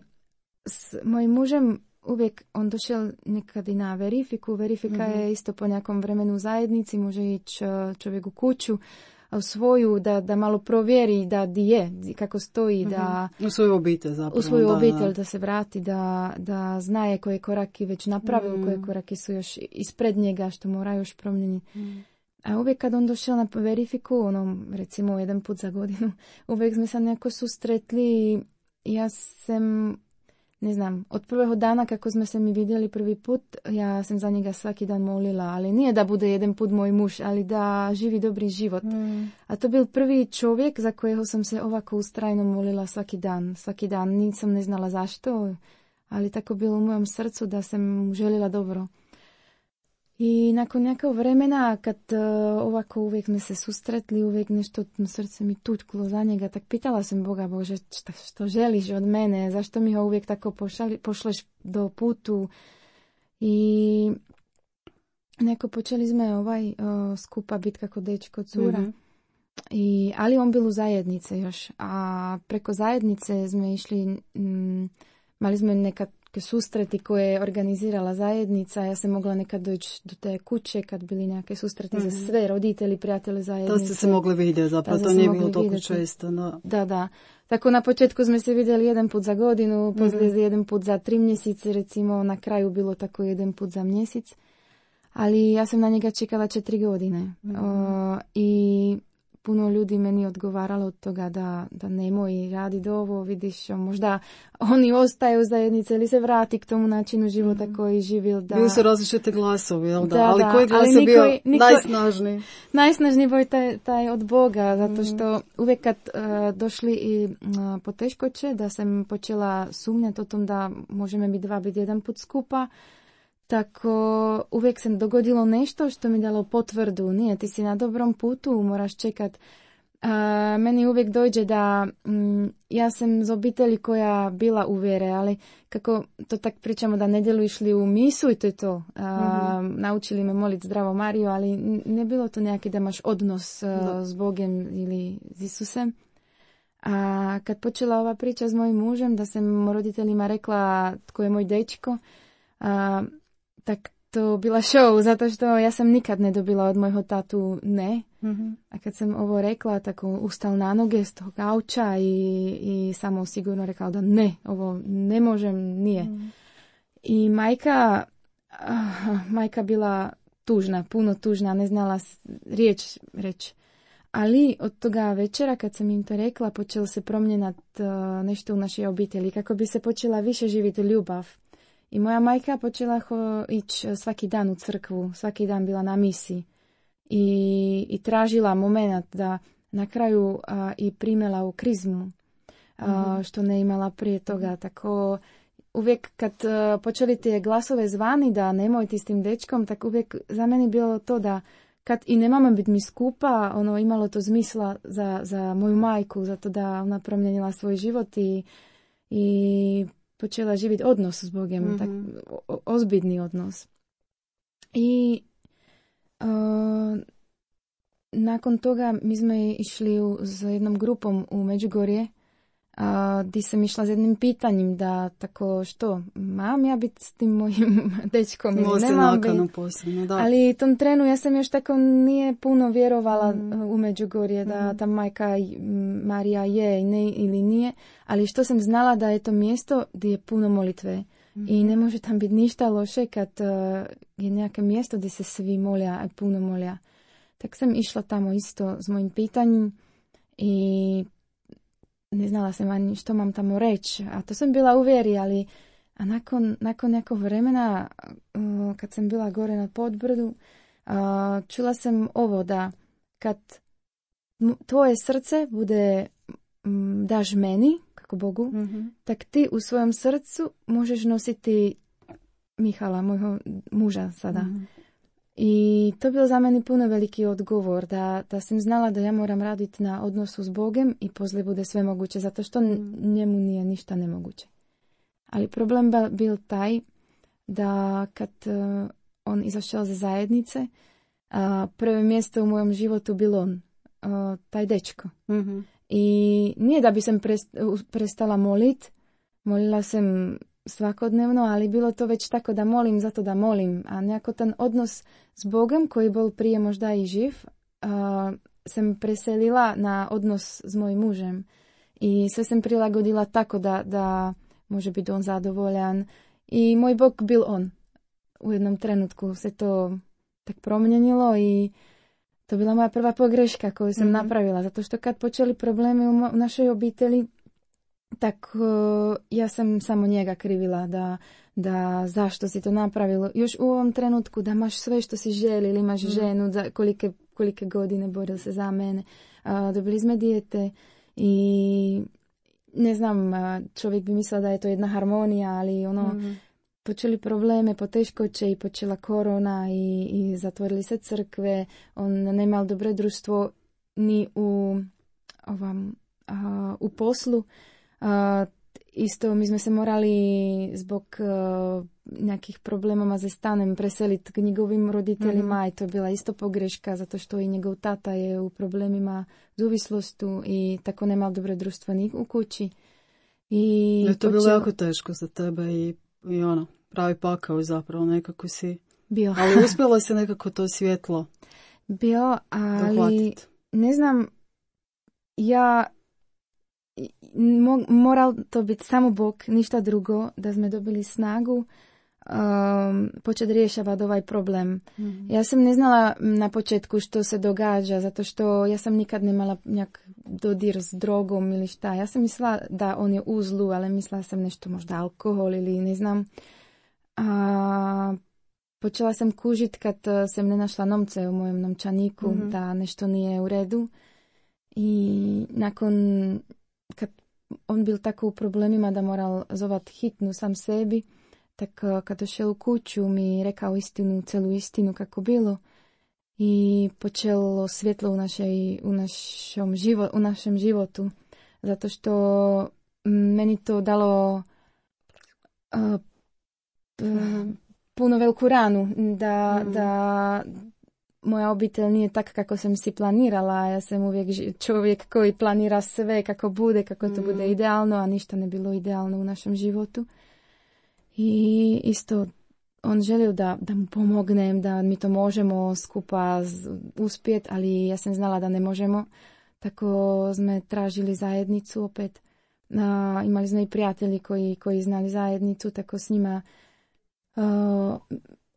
s mojim mužem uvijek on došel nekad i na verifiku. Verifika je isto po nekom vremenu u zajednici, može ići čovjek u kuću, u svoju, da malo provjeri da di je, kako stoji, da u svoju obitelj zapravo. U svoju obitelj, da se vrati, da znaje koje koraki već napravio, koje koraki su još ispred njega, što mora još promijeniti. A uvijek kad on došao na verifiku, recimo jedan put za godinu, uvijek smo se nekako susretli i ja sam, ne znam, od prvog dana kako smo se mi vidjeli prvi put, ja sam za njega svaki dan molila, ali nije da bude jedan put moj muž, ali da živi dobri život. A to bil prvi čovjek za kojeg sam se ovako ustrajno molila svaki dan. Nisam ne znala zašto, ali tako bilo u mojem srcu da sam mu željela dobro. I nakon nekog vremena, kad ovako uvijek smo se susretli, uvijek nešto srce mi tučklo za njega, tak pitala sam Boga, Bože, što želiš od mene, zašto mi ho uvijek tako pošleš do putu. I neko počeli smo skupa biti kako dečko cura. Ali on bil u zajednice još, a preko zajednice smo išli, mali smo nekad susreti koje je organizirala zajednica. Ja sam mogla nekad doći do te kuće kad bili neke susreti za sve roditelji, prijatelje zajednice. To ste se mogli vidjeti, zapravo to nije bilo toliko često. No. Da. Tako na početku smo se vidjeli jedan put za godinu, poslije jedan put za 3 mjesece, recimo na kraju bilo tako jedan put za mjesec. Ali ja sam na njega čekala 4 godine. I puno ljudi meni odgovaralo od toga da nemoj radi ovo, vidiš, možda oni ostaju u zajednici ili se vrati k tomu načinu života koji živio. Bili su različite glasovi, jel da? Ali koji glas je bio najsnažniji? Najsnažniji bio taj od Boga, zato što uvijek kad došli i poteškoće, da sam počela sumnjati o tom da možemo biti jedan put skupa, tako uvijek se dogodilo nešto što mi dalo potvrdu. Nije, ti si na dobrom putu, moraš čekat. Meni uvijek dođe da ja sam iz obitelji koja bila u vjere, ali kako to tak pričamo da nedjelu išli u misu i to je to. Naučili me moliti Zdravo Mariju, ali ne bilo to neki da imaš odnos s Bogom ili s Isusem. A kad počela ova priča s mojim mužem, da sam roditeljima rekla tko je moj dečko, tak to bila show, zato što ja sam nikad ne dobila od mojho tatu ne. A kad sam ovo rekla, tako ustal na noge s tog auča i samo sigurno rekao da ne, ovo ne možem, nije. I majka bila tužna, puno tužna, ne znala riječ reći. Ali od toga večera kad sam im to rekla, počelo se promjenat nešto u našoj obitelji, kako bi se počela više živjeti ljubav. I moja majka počela ići svaki dan u crkvu, svaki dan bila na misiji i tražila moment da na kraju i primjela u krizmu, što ne imala prije toga. Tako uvijek kad počeli te glasove zvani da nemojte s tim dečkom, tak uvijek za meni bilo to da kad i nemamo biti mi skupa, imalo to smisla za moju majku, zato da ona promijenila svoj život i počela živjeti odnos s Bogom, tak, ozbiljni odnos. I nakon toga mi smo išli s jednom grupom u Međugorje, gdje sam išla s jednim pitanjem da tako što, mam ja biti s tim mojim dečkom ili nemam biti. Posebno, da. Ali tom trenu ja sam još tako nije puno vjerovala u Međugorje da ta majka Marija je ili nije, ali što sam znala da je to mjesto gdje je puno molitve i ne može tam biti ništa loše kad je neke mjesto gdje se svi molja, puno molja. Tak sam išla tamo isto s mojim pitanjem i ne znala sam ani što mam tamo reći, a to sam bila u vjeri, ali nakon nekog vremena, kad sam bila gore na podbrdu, čula sam ovo da kad tvoje srce bude daš meni, kako Bogu, tak ti u svojom srcu možeš nositi Mihala, mojeg muža sada. I to je bilo za mene puno veliki odgovor, da sam znala da ja moram raditi na odnosu s Bogom i poslije bude sve moguće, zato što njemu nije ništa nemoguće. Ali problem bil taj da kad on izašao za zajednice, prvo mjesto u mojem životu bilo on, taj dečko. I nije da bi sam prestala molila sam svakodnevno, ali bilo to već tako da molim zato da molim, a nekako ten odnos s Bogom koji bol prije možda i živ, sam preselila na odnos s mojim mužem i sve sam prilagodila tako da može biti on zadovoljan i moj Bog bil on. U jednom trenutku se to tak promijenilo i to bila moja prva pogreška koju sam napravila, zato što kad počeli problemi u našoj obitelji, tak ja sam samo njega krivila da zašto si to napravilo. Još u ovom trenutku da imaš sve što si želi ili imaš ženu, da kolike godine boril se za mene. Dobili smo dijete i ne znam, čovjek bi mislio da je to jedna harmonija, ali počeli probleme, poteškoće i počela korona i zatvorili se crkve. On ne imao dobro društvo ni u poslu. Isto mi smo se morali zbog nekih problemama za stanem preseliti k njegovim roditeljima i to je bila isto pogreška zato što i njegov tata je u problemima zuvislostu i tako nema dobro društvo ni u kući. I to je bilo jako teško za tebe i pravi pakao zapravo nekako si. Bio. Ali uspjelo se nekako to svjetlo bio, ali dohvatiti. Ne znam, ja moral to biti samo Bog, ništa drugo, da smo dobili snagu početi rješavati ovaj problem. Ja sam ne znala na početku što se događa, zato što ja sam nikad nemala njak dodir s drogom ili šta. Ja sam mislila da on je u zlu, ali mislila sam nešto možda alkohol ili ne znam. Počela sam kužiti kad sam ne našla novce u mojem novčaniku, da nešto nije u redu. I nakon kad on bil tako u problemima da moral zovat hitnu sam sebi, tak kad došel u kuću mi rekao istinu, celu istinu kako bilo i počelo svjetlo u našem životu, zato što meni to dalo puno veliku ranu da moja obitelj nije tak kako sam si planirala. Ja sam uvijek čovjek koji planira sve kako bude, kako to bude idealno, a ništa ne bilo idealno u našem životu. I isto on želio da mu pomognem, da mi to možemo skupa uspjeti, ali ja sam znala da ne možemo. Tako smo tražili zajednicu opet. Imali smo i prijatelji koji znali zajednicu, tako s njima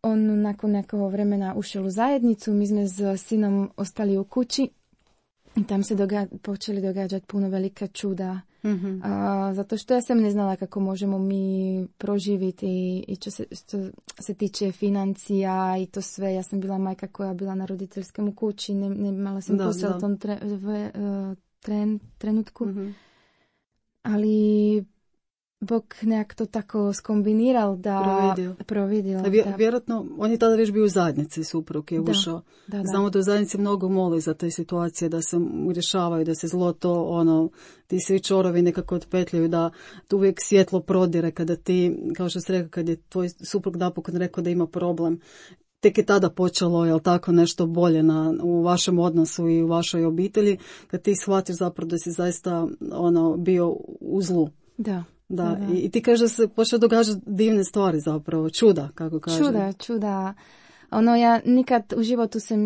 on nakon nekog vremena ušel u zajednicu, mi smo s sinom ostali u kući i tam se počeli događati puno velika čuda. Zato što ja sam ne znala kako možemo mi proživiti i što se tiče financija i to sve. Ja sam bila majka koja bila na roditeljskom kući, ne imala sam posao u tom trenutku. Ali Bog nekak to tako skombiniral da providio. Vjerojatno, on je tada već bio u zajednici, suprug je ušao. Znamo da u zajednici mnogo moli za te situacije, da se rješavaju, da se zlo to, ti svi čorovi nekako otpetljaju, da tu uvijek svjetlo prodire kada ti, kao što si rekao, kad je tvoj suprug napokon rekao da ima problem. tek je tada počelo, jel tako, nešto bolje u vašem odnosu i u vašoj obitelji, kad ti shvatiš zapravo da si zaista bio u zlu. Da. I ti kažeš da se počeo događati divne stvari zapravo, čuda, kako kažem. Čuda. Ja nikad u životu sam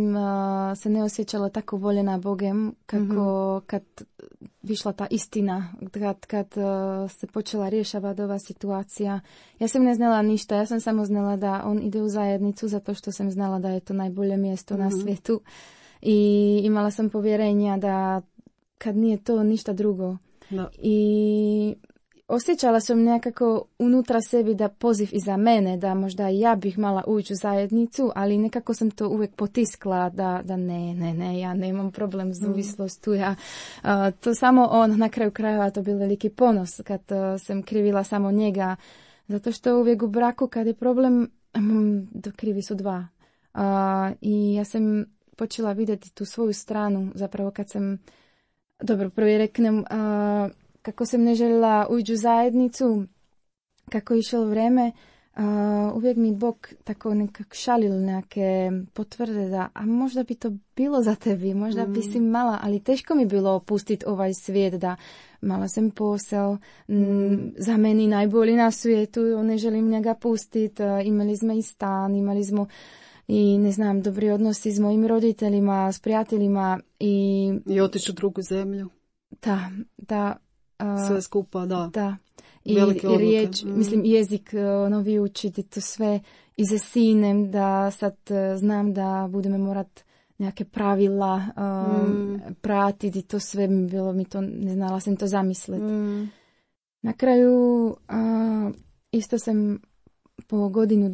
se ne osjećala tako voljena Bogem kako kad višla ta istina, kad se počela rješavati ova situacija. Ja sam ne znala ništa, ja sam samo znala da on ide u zajednicu zato što sam znala da je to najbolje mjesto na svijetu i imala sam povjerenja da kad nije to ništa drugo. Da. I osjećala sam nekako unutra sebi da poziv iza mene, da možda i ja bih mala ući u zajednicu, ali nekako sam to uvijek potiskla da ne, ja nemam problem s uvislostu. To samo on, na kraju krajeva to bil veliki ponos kad sam krivila samo njega, zato što uvijek u braku kad je problem, krivi su dva. I ja sam počela vidjeti tu svoju stranu, zapravo kad sam, dobro, prvi reknem, kako sam ne željela ući u zajednicu, kako je išlo vrijeme, uvijek mi Bog tako nekako šalil neke potvrde da, a možda bi to bilo za tebi, možda bi si mala, ali teško mi bilo opustiti ovaj svijet, da mala sam posao, za meni najbolji na svijetu, ne želim njega pustiti, imali smo i stan, imali smo i ne znam, dobri odnosi s mojim roditeljima, s prijateljima i otići u drugu zemlju. Da. Sve skupa, da. I riječ, mislim, jezik novi učiti, to sve i za sinem, da sad znam da budeme morat neke pravila pratiti, to sve bilo mi to, ne znala sam to zamisliti. Na kraju isto sam po godinu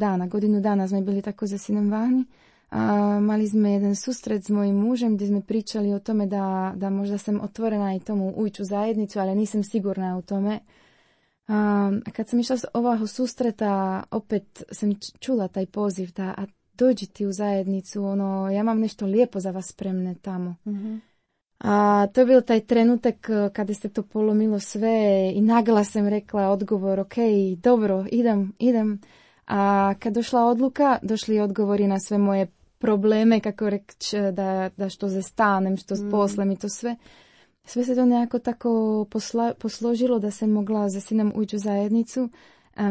dana smo bili tako za sinem vani. Mali smo jedan susret s mojim mužem gdje smo pričali o tome da možda sam otvorena i tomu ući u zajednicu, ali nisam sigurna u tome. Kad sam išla s ovog susreta, opet sam čula taj poziv da dođi ti u zajednicu, ja imam nešto lijepo za vas spremne tamo. To je bio taj trenutak kada se to polomilo sve i naglas sam rekla odgovor, ok, dobro, idem. A kad došla odluka, došli odgovori na sve moje probleme, kako reći, da što se stanem, što s poslem i to sve. Sve se to nekako tako posložilo da sam mogla za sinom ući u zajednicu.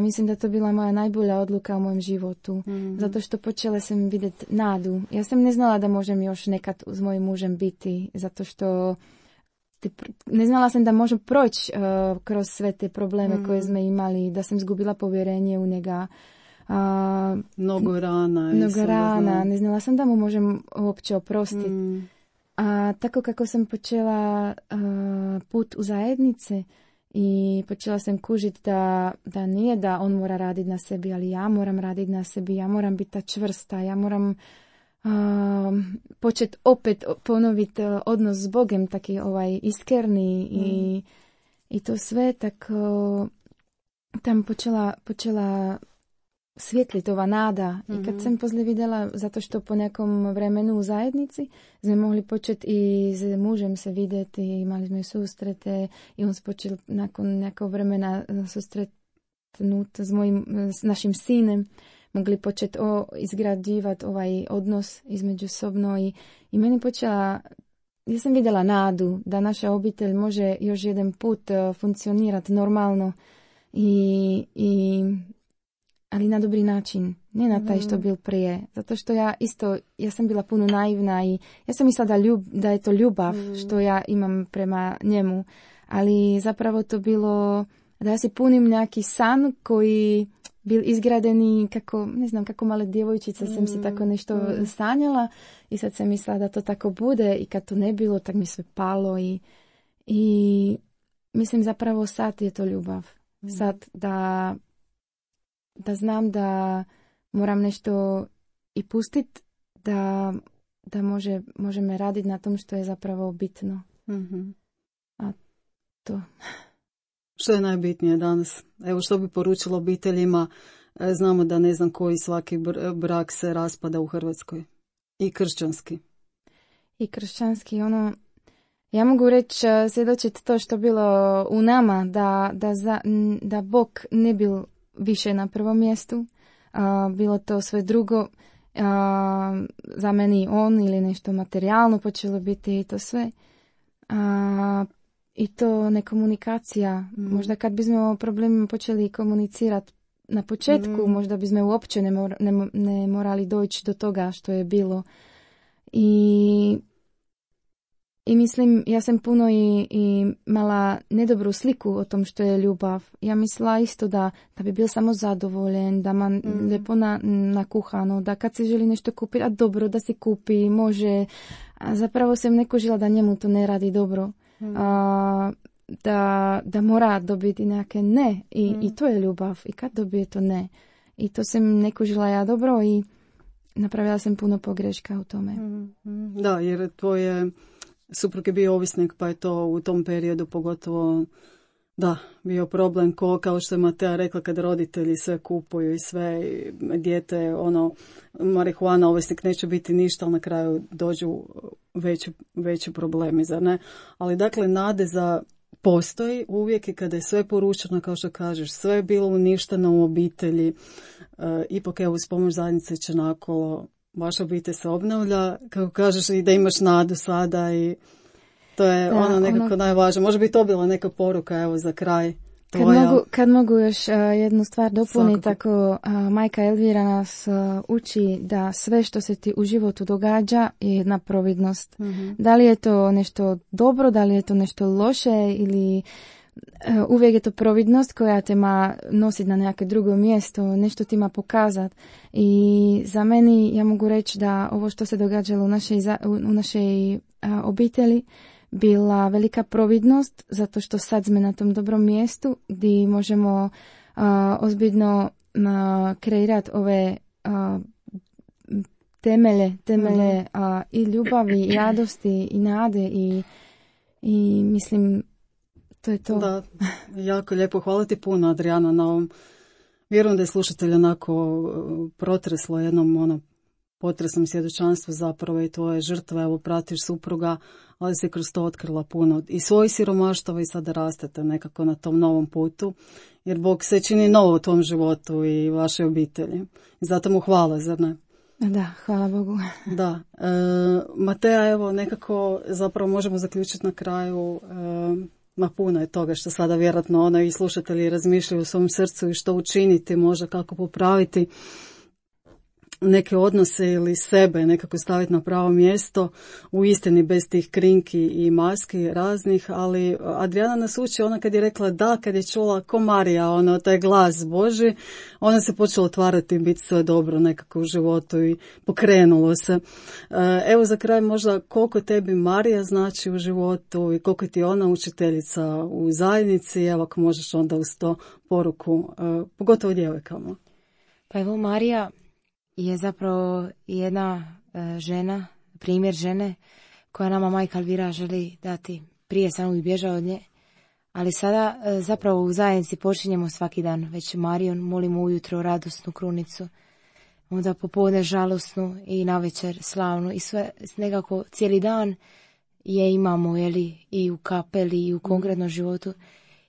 Mislim da to bila moja najbolja odluka u mojem životu. Zato što počela sam vidjeti nadu. Ja sam ne znala da možem još nekad s mojim mužem biti, zato što ne znala sam da možem proći kroz sve te probleme koje smo imali, da sam izgubila povjerenje u njega. Mnogo rana, ne znala sam da mu možem uopće oprostiti. Tako kako sam počela put u zajednice i počela sam kužiti da nije da on mora raditi na sebi, ali ja moram raditi na sebi, ja moram biti ta čvrsta, ja moram početi opet ponoviti odnos s Bogem, taki iskreni i to sve tako tam počela svjetliti ova nada. I kad sam poslije vidjela, zato što po nekom vremenu u zajednici smo mogli početi i s mužem se vidjeti, imali smo i susrete i on se počeo nakon nekog vremena susretnuti s našim sinem, mogli početi izgrađivati ovaj odnos između sobno i meni počela, ja sam vidjela nadu da naša obitelj može još jedan put funkcionirati normalno ali na dobri način, ne na taj što bil prije. Zato što ja sam bila puno naivna i ja sam mislila da je to ljubav što ja imam prema njemu. Ali zapravo to bilo da ja si punim neki san koji bil izgradeni kako male djevojčica sam si tako nešto sanjala i sad sam mislila da to tako bude i kad to ne bilo, tak mi sve palo i mislim zapravo sad je to ljubav. Sad da znam da moram nešto i pustiti, da možemo raditi na tom što je zapravo bitno. A to. Što je najbitnije danas? Evo što bi poručilo obiteljima? Znamo da ne znam koji svaki brak se raspada u Hrvatskoj. I kršćanski. Ja mogu reći, svjedočiti to što bilo u nama, da Bog ne bil više na prvom mjestu, bilo to sve drugo. za meni on ili nešto materijalno počelo biti i to sve. I to nekomunikacija. Možda kad bismo o problemima počeli komunicirati na početku, možda bismo uopće ne morali doći do toga što je bilo. I mislim, ja sam puno i mala nedobru sliku o tom što je ljubav. Ja mislila isto da bi bil samo zadovoljen, da ma lijepo nakuhano, da kad se želi nešto kupiti, a dobro da si kupi, može. A zapravo sam neko žila da njemu to ne radi dobro. Da mora dobiti neke ne. I to je ljubav. I kad dobije to ne. I to sam neko žila ja dobro i napravila sam puno pogreška u tome. Da, jer tvoje suprug je bio ovisnik, pa je to u tom periodu pogotovo bio problem kao što je Matea rekla, kad roditelji sve kupuju i sve, dijete, marihuana, ovisnik neće biti ništa, ali na kraju dođu veći problemi, zar ne? Ali dakle, nade za postoji uvijek i kada je sve poručeno, kao što kažeš, sve je bilo uništeno u obitelji, ipak evo uz pomoć zajednice Čenakolo, vaša obitelj se obnavlja, kako kažeš, i da imaš nadu sada i to je nekako najvažnije. Može bi to bila neka poruka, evo, za kraj. Kad mogu još jednu stvar dopuniti, tako majka Elvira nas uči da sve što se ti u životu događa je jedna providnost. Da li je to nešto dobro, da li je to nešto loše ili uvijek je to providnost koja te ma nositi na neke drugo mjesto, nešto ti ma pokazati. I za meni ja mogu reći da ovo što se događalo u našoj obitelji bila velika providnost, zato što sad smo na tom dobrom mjestu gdje možemo ozbiljno kreirati ove temelje i ljubavi, i radosti, i nade i mislim, to je to. Da, jako lijepo. Hvala ti puno, Adriana, na ovom. Vjerujem da je slušatelj onako protreslo jednom potresnom svjedočanstvu zapravo i tvoje žrtve, evo pratiš supruga, ali se kroz to otkrila puno i svojih siromaštava i sada rastete nekako na tom novom putu, jer Bog se čini novo u tom životu i vašoj obitelji. I zato mu hvala, zar ne? Da, hvala Bogu. Da. Matea, evo nekako zapravo možemo zaključiti na kraju, puno je toga što sada vjerojatno i slušatelji razmišljaju u svom srcu i što učiniti, možda kako popraviti neke odnose ili sebe nekako staviti na pravo mjesto, u istini bez tih krinki i maski raznih, ali Adriana nas uči, ona kad je rekla da, kad je čula ko Marija, taj glas Boži, ona se počela otvarati i biti sve dobro nekako u životu i pokrenulo se. Evo za kraj možda koliko tebi Marija znači u životu i koliko ti ona učiteljica u zajednici, evo ako možeš onda uz to poruku, pogotovo djevojkama. Pa evo Marija je zapravo jedna žena, primjer žene koja nama majka Elvira želi dati. Prije sam uvijek bježao od nje, ali sada zapravo u zajednici počinjemo svaki dan. Već Marijom molimo ujutro radosnu krunicu, onda popodne žalosnu i navečer slavnu i sve nekako cijeli dan je imamo i u kapeli i u konkretnom životu.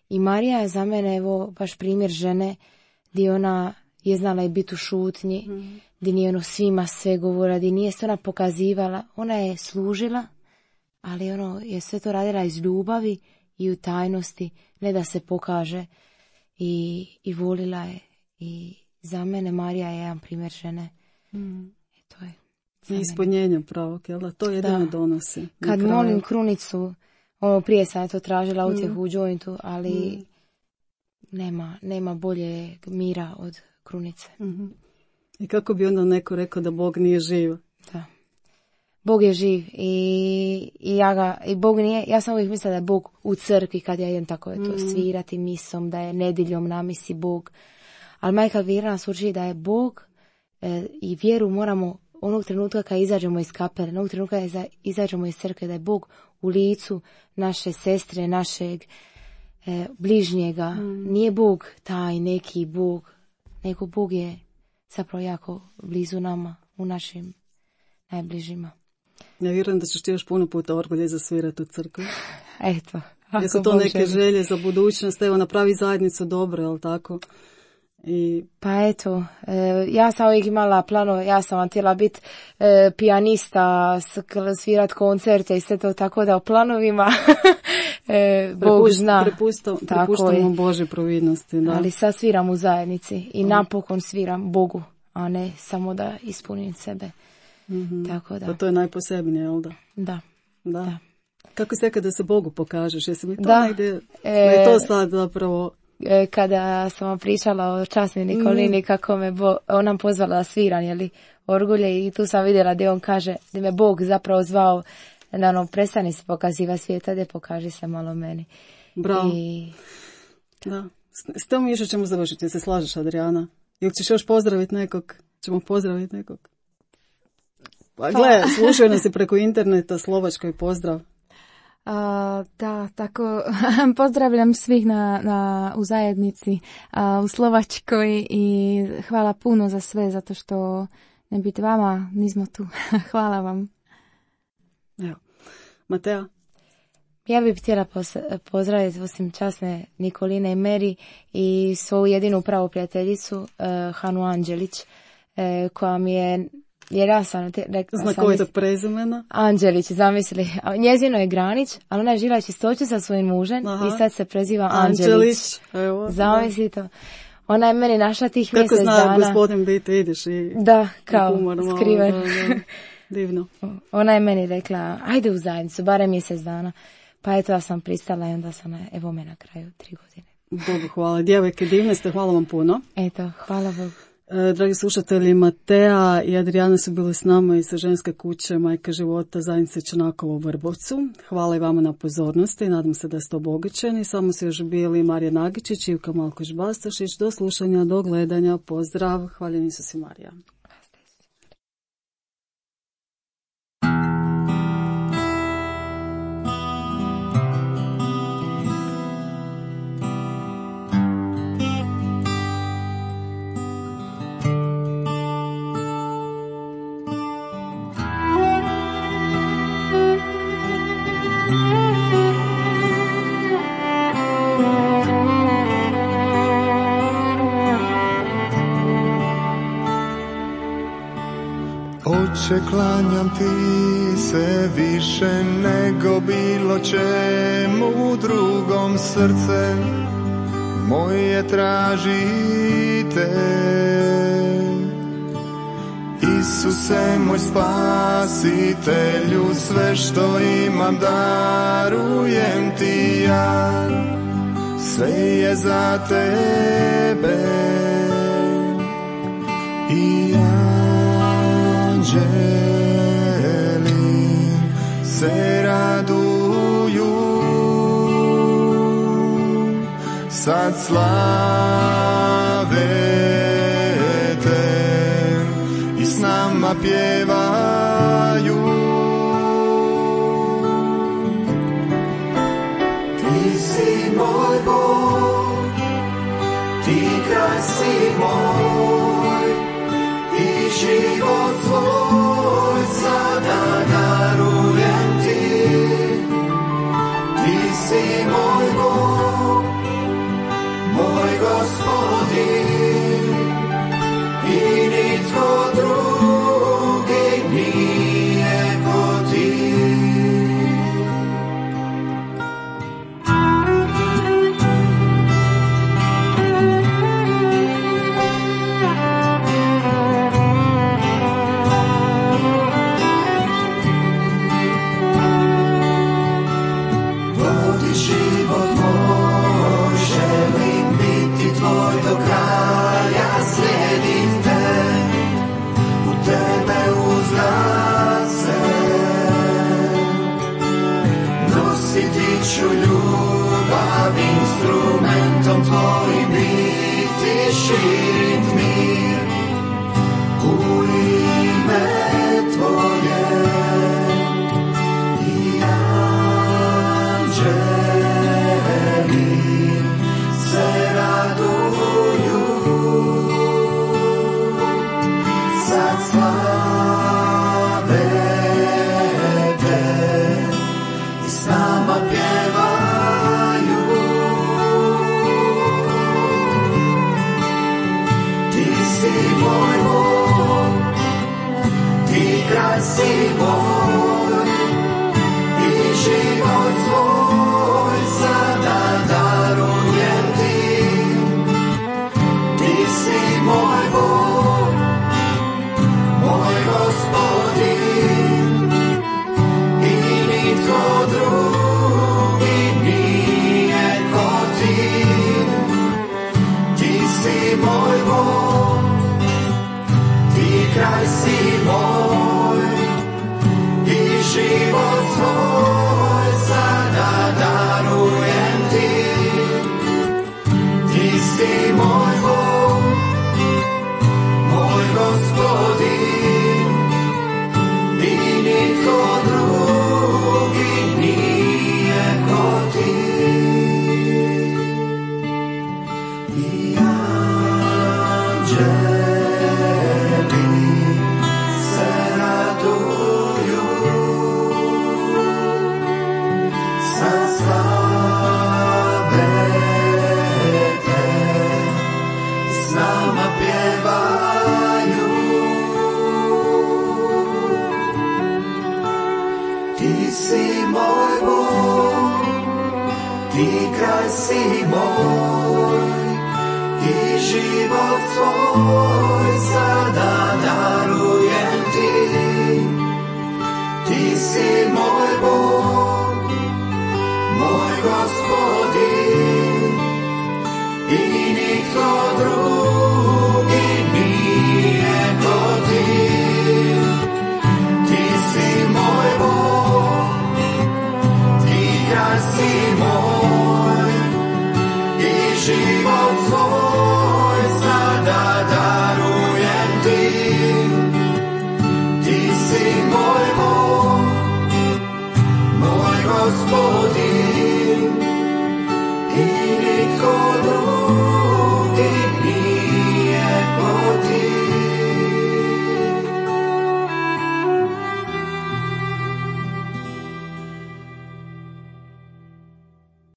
I Marija je za mene evo baš primjer žene gdje ona je znala i biti u šutnji, gdje nije svima sve govorila, gdje nije se ona pokazivala. Ona je služila, ali je sve to radila iz ljubavi i u tajnosti, ne da se pokaže. I volila je. I za mene Marija je jedan primjer žene. I to je. I ispunjenje pravog, jel da? To jedino donosi. Kad molim krunicu, prije sam je to tražila utjehu u jointu, ali nema bolje mira od krunice. I kako bi onda neko rekao da Bog nije živ? Da. Bog je živ i Bog nije, ja sam uvijek mislila da je Bog u crkvi kad ja idem tako to svirati misom, da je nedjeljom na misi Bog. Ali majka Elvira nas uči da je Bog i vjeru moramo onog trenutka kad izađemo iz kapele, onog trenutka kad izađemo iz crkve, da je Bog u licu naše sestre, našeg bližnjega. Nije Bog taj neki Bog, nego Bog je zapravo jako blizu nama, u našim najbližima. Ja vjerujem da ćeš ti još puno puta orgulje zasvirati u crkvi. Eto. Jesu to neke želje za budućnost? Evo, napravi zajednicu dobro, jel tako? Pa eto, ja sam uvijek imala plano, ja sam htjela biti pijanista, svirat koncerte i sve to, tako da u planovima Bog zna. Prepuštamo Božje providnosti. Da. Ali sad sviram u zajednici i napokon sviram Bogu, a ne samo da ispunim sebe. Tako da. Pa to je najposebnije, jel da? Da. Kako se kada se Bogu pokažeš? Jesi mi to negdje? Je to sad zapravo... Kada sam vam pričala o časnoj Nikolini, kako me ona pozvala da sviram, orgulje, i tu sam vidjela da on kaže da me Bog zapravo zvao da prestani se pokaziva svijeta, da pokaži se malo meni. Bravo. Da. S tom još ćemo završiti, se slažeš, Adriana? Ili ćeš još pozdraviti nekog? Ćemo pozdraviti nekog? Pa gledaj, slušaju nas i preko interneta, Slovačkoj pozdrav. Da, tako pozdravljam svih u zajednici u Slovačkoj i hvala puno za sve, zato što ne biti vama, nismo tu. Hvala vam. Evo. Matea? Ja bih htjela pozdraviti osim časne Nikoline i Meri i svoju jedinu pravu prijateljicu Hanu Anđelić, koja mi je... Jer ja sam znakovitog prezimena. Anđelić, zamisli. Njezino je Granić, ali ona je žila čistoću sa svojim mužem i sad se preziva Anđelić. Evo, zamisli to. Ona je meni našla tih mjesec dana. Kako zna gospodin biti, vidiš i... Da, kao skriven. Divno. Ona je meni rekla, ajde u zajednicu, barem mjesec dana. Pa eto, ja sam pristala i onda sam, evo me na kraju 3 godine. Bogu hvala. Djevojke, divne ste, hvala vam puno. Eto, hvala Bogu. Dragi slušatelji, Matea i Adriana su bili s nama iz ženske kuće Majka života zajednice Čanakovo u Vrbovcu. Hvala i vama na pozornosti, nadam se da ste obogaćeni. Samo su još bili Marija Nagičić i Ivka Malkoš-Bastašić. Do slušanja, do gledanja, pozdrav, hvaljeni Isus i Marija. Oče, klanjam ti se više nego bilo čemu drugom, srce moje traži te. Isuse moj spasitelju, sve što imam darujem ti ja, sve je za tebe i anđeli se raduju, sad slave te i s nama pjevaju. Ti si moj Bog, ti kraj si moj i život svoj sada darujem ti. Ti si moj Bog, moj Gospodin i nitko drugi nije ko ti. Vodi život moj, želim biti tvoj do kraja, slijedim te, u tebe uzdam se. Nositi ću ljubav, instrumentom tvojim biti, širit mir u ime tvoje. I anđeli se raduju, sad slave te i s nama pjevaju. Bog i život svoj sada darujem ti. Ti si moj Bog, moj Gospodin i nitko drugi nije ko ti. Ti si moj Bog, ti kraj si moj i život svoj sada darujem ti. Ti si moj Bog, moj Gospodin i nitko drugi nije ko ti. I anđeli se raduju, sad slave te s nama pjevaju. Ti si moj Bog, ti kraj si moj i život svoj sada darujem ti. Ti si moj Bog, moj Gospodin i nitko drugi nije ko ti. Ti si moj Bog, ti kraj si moj i život svoj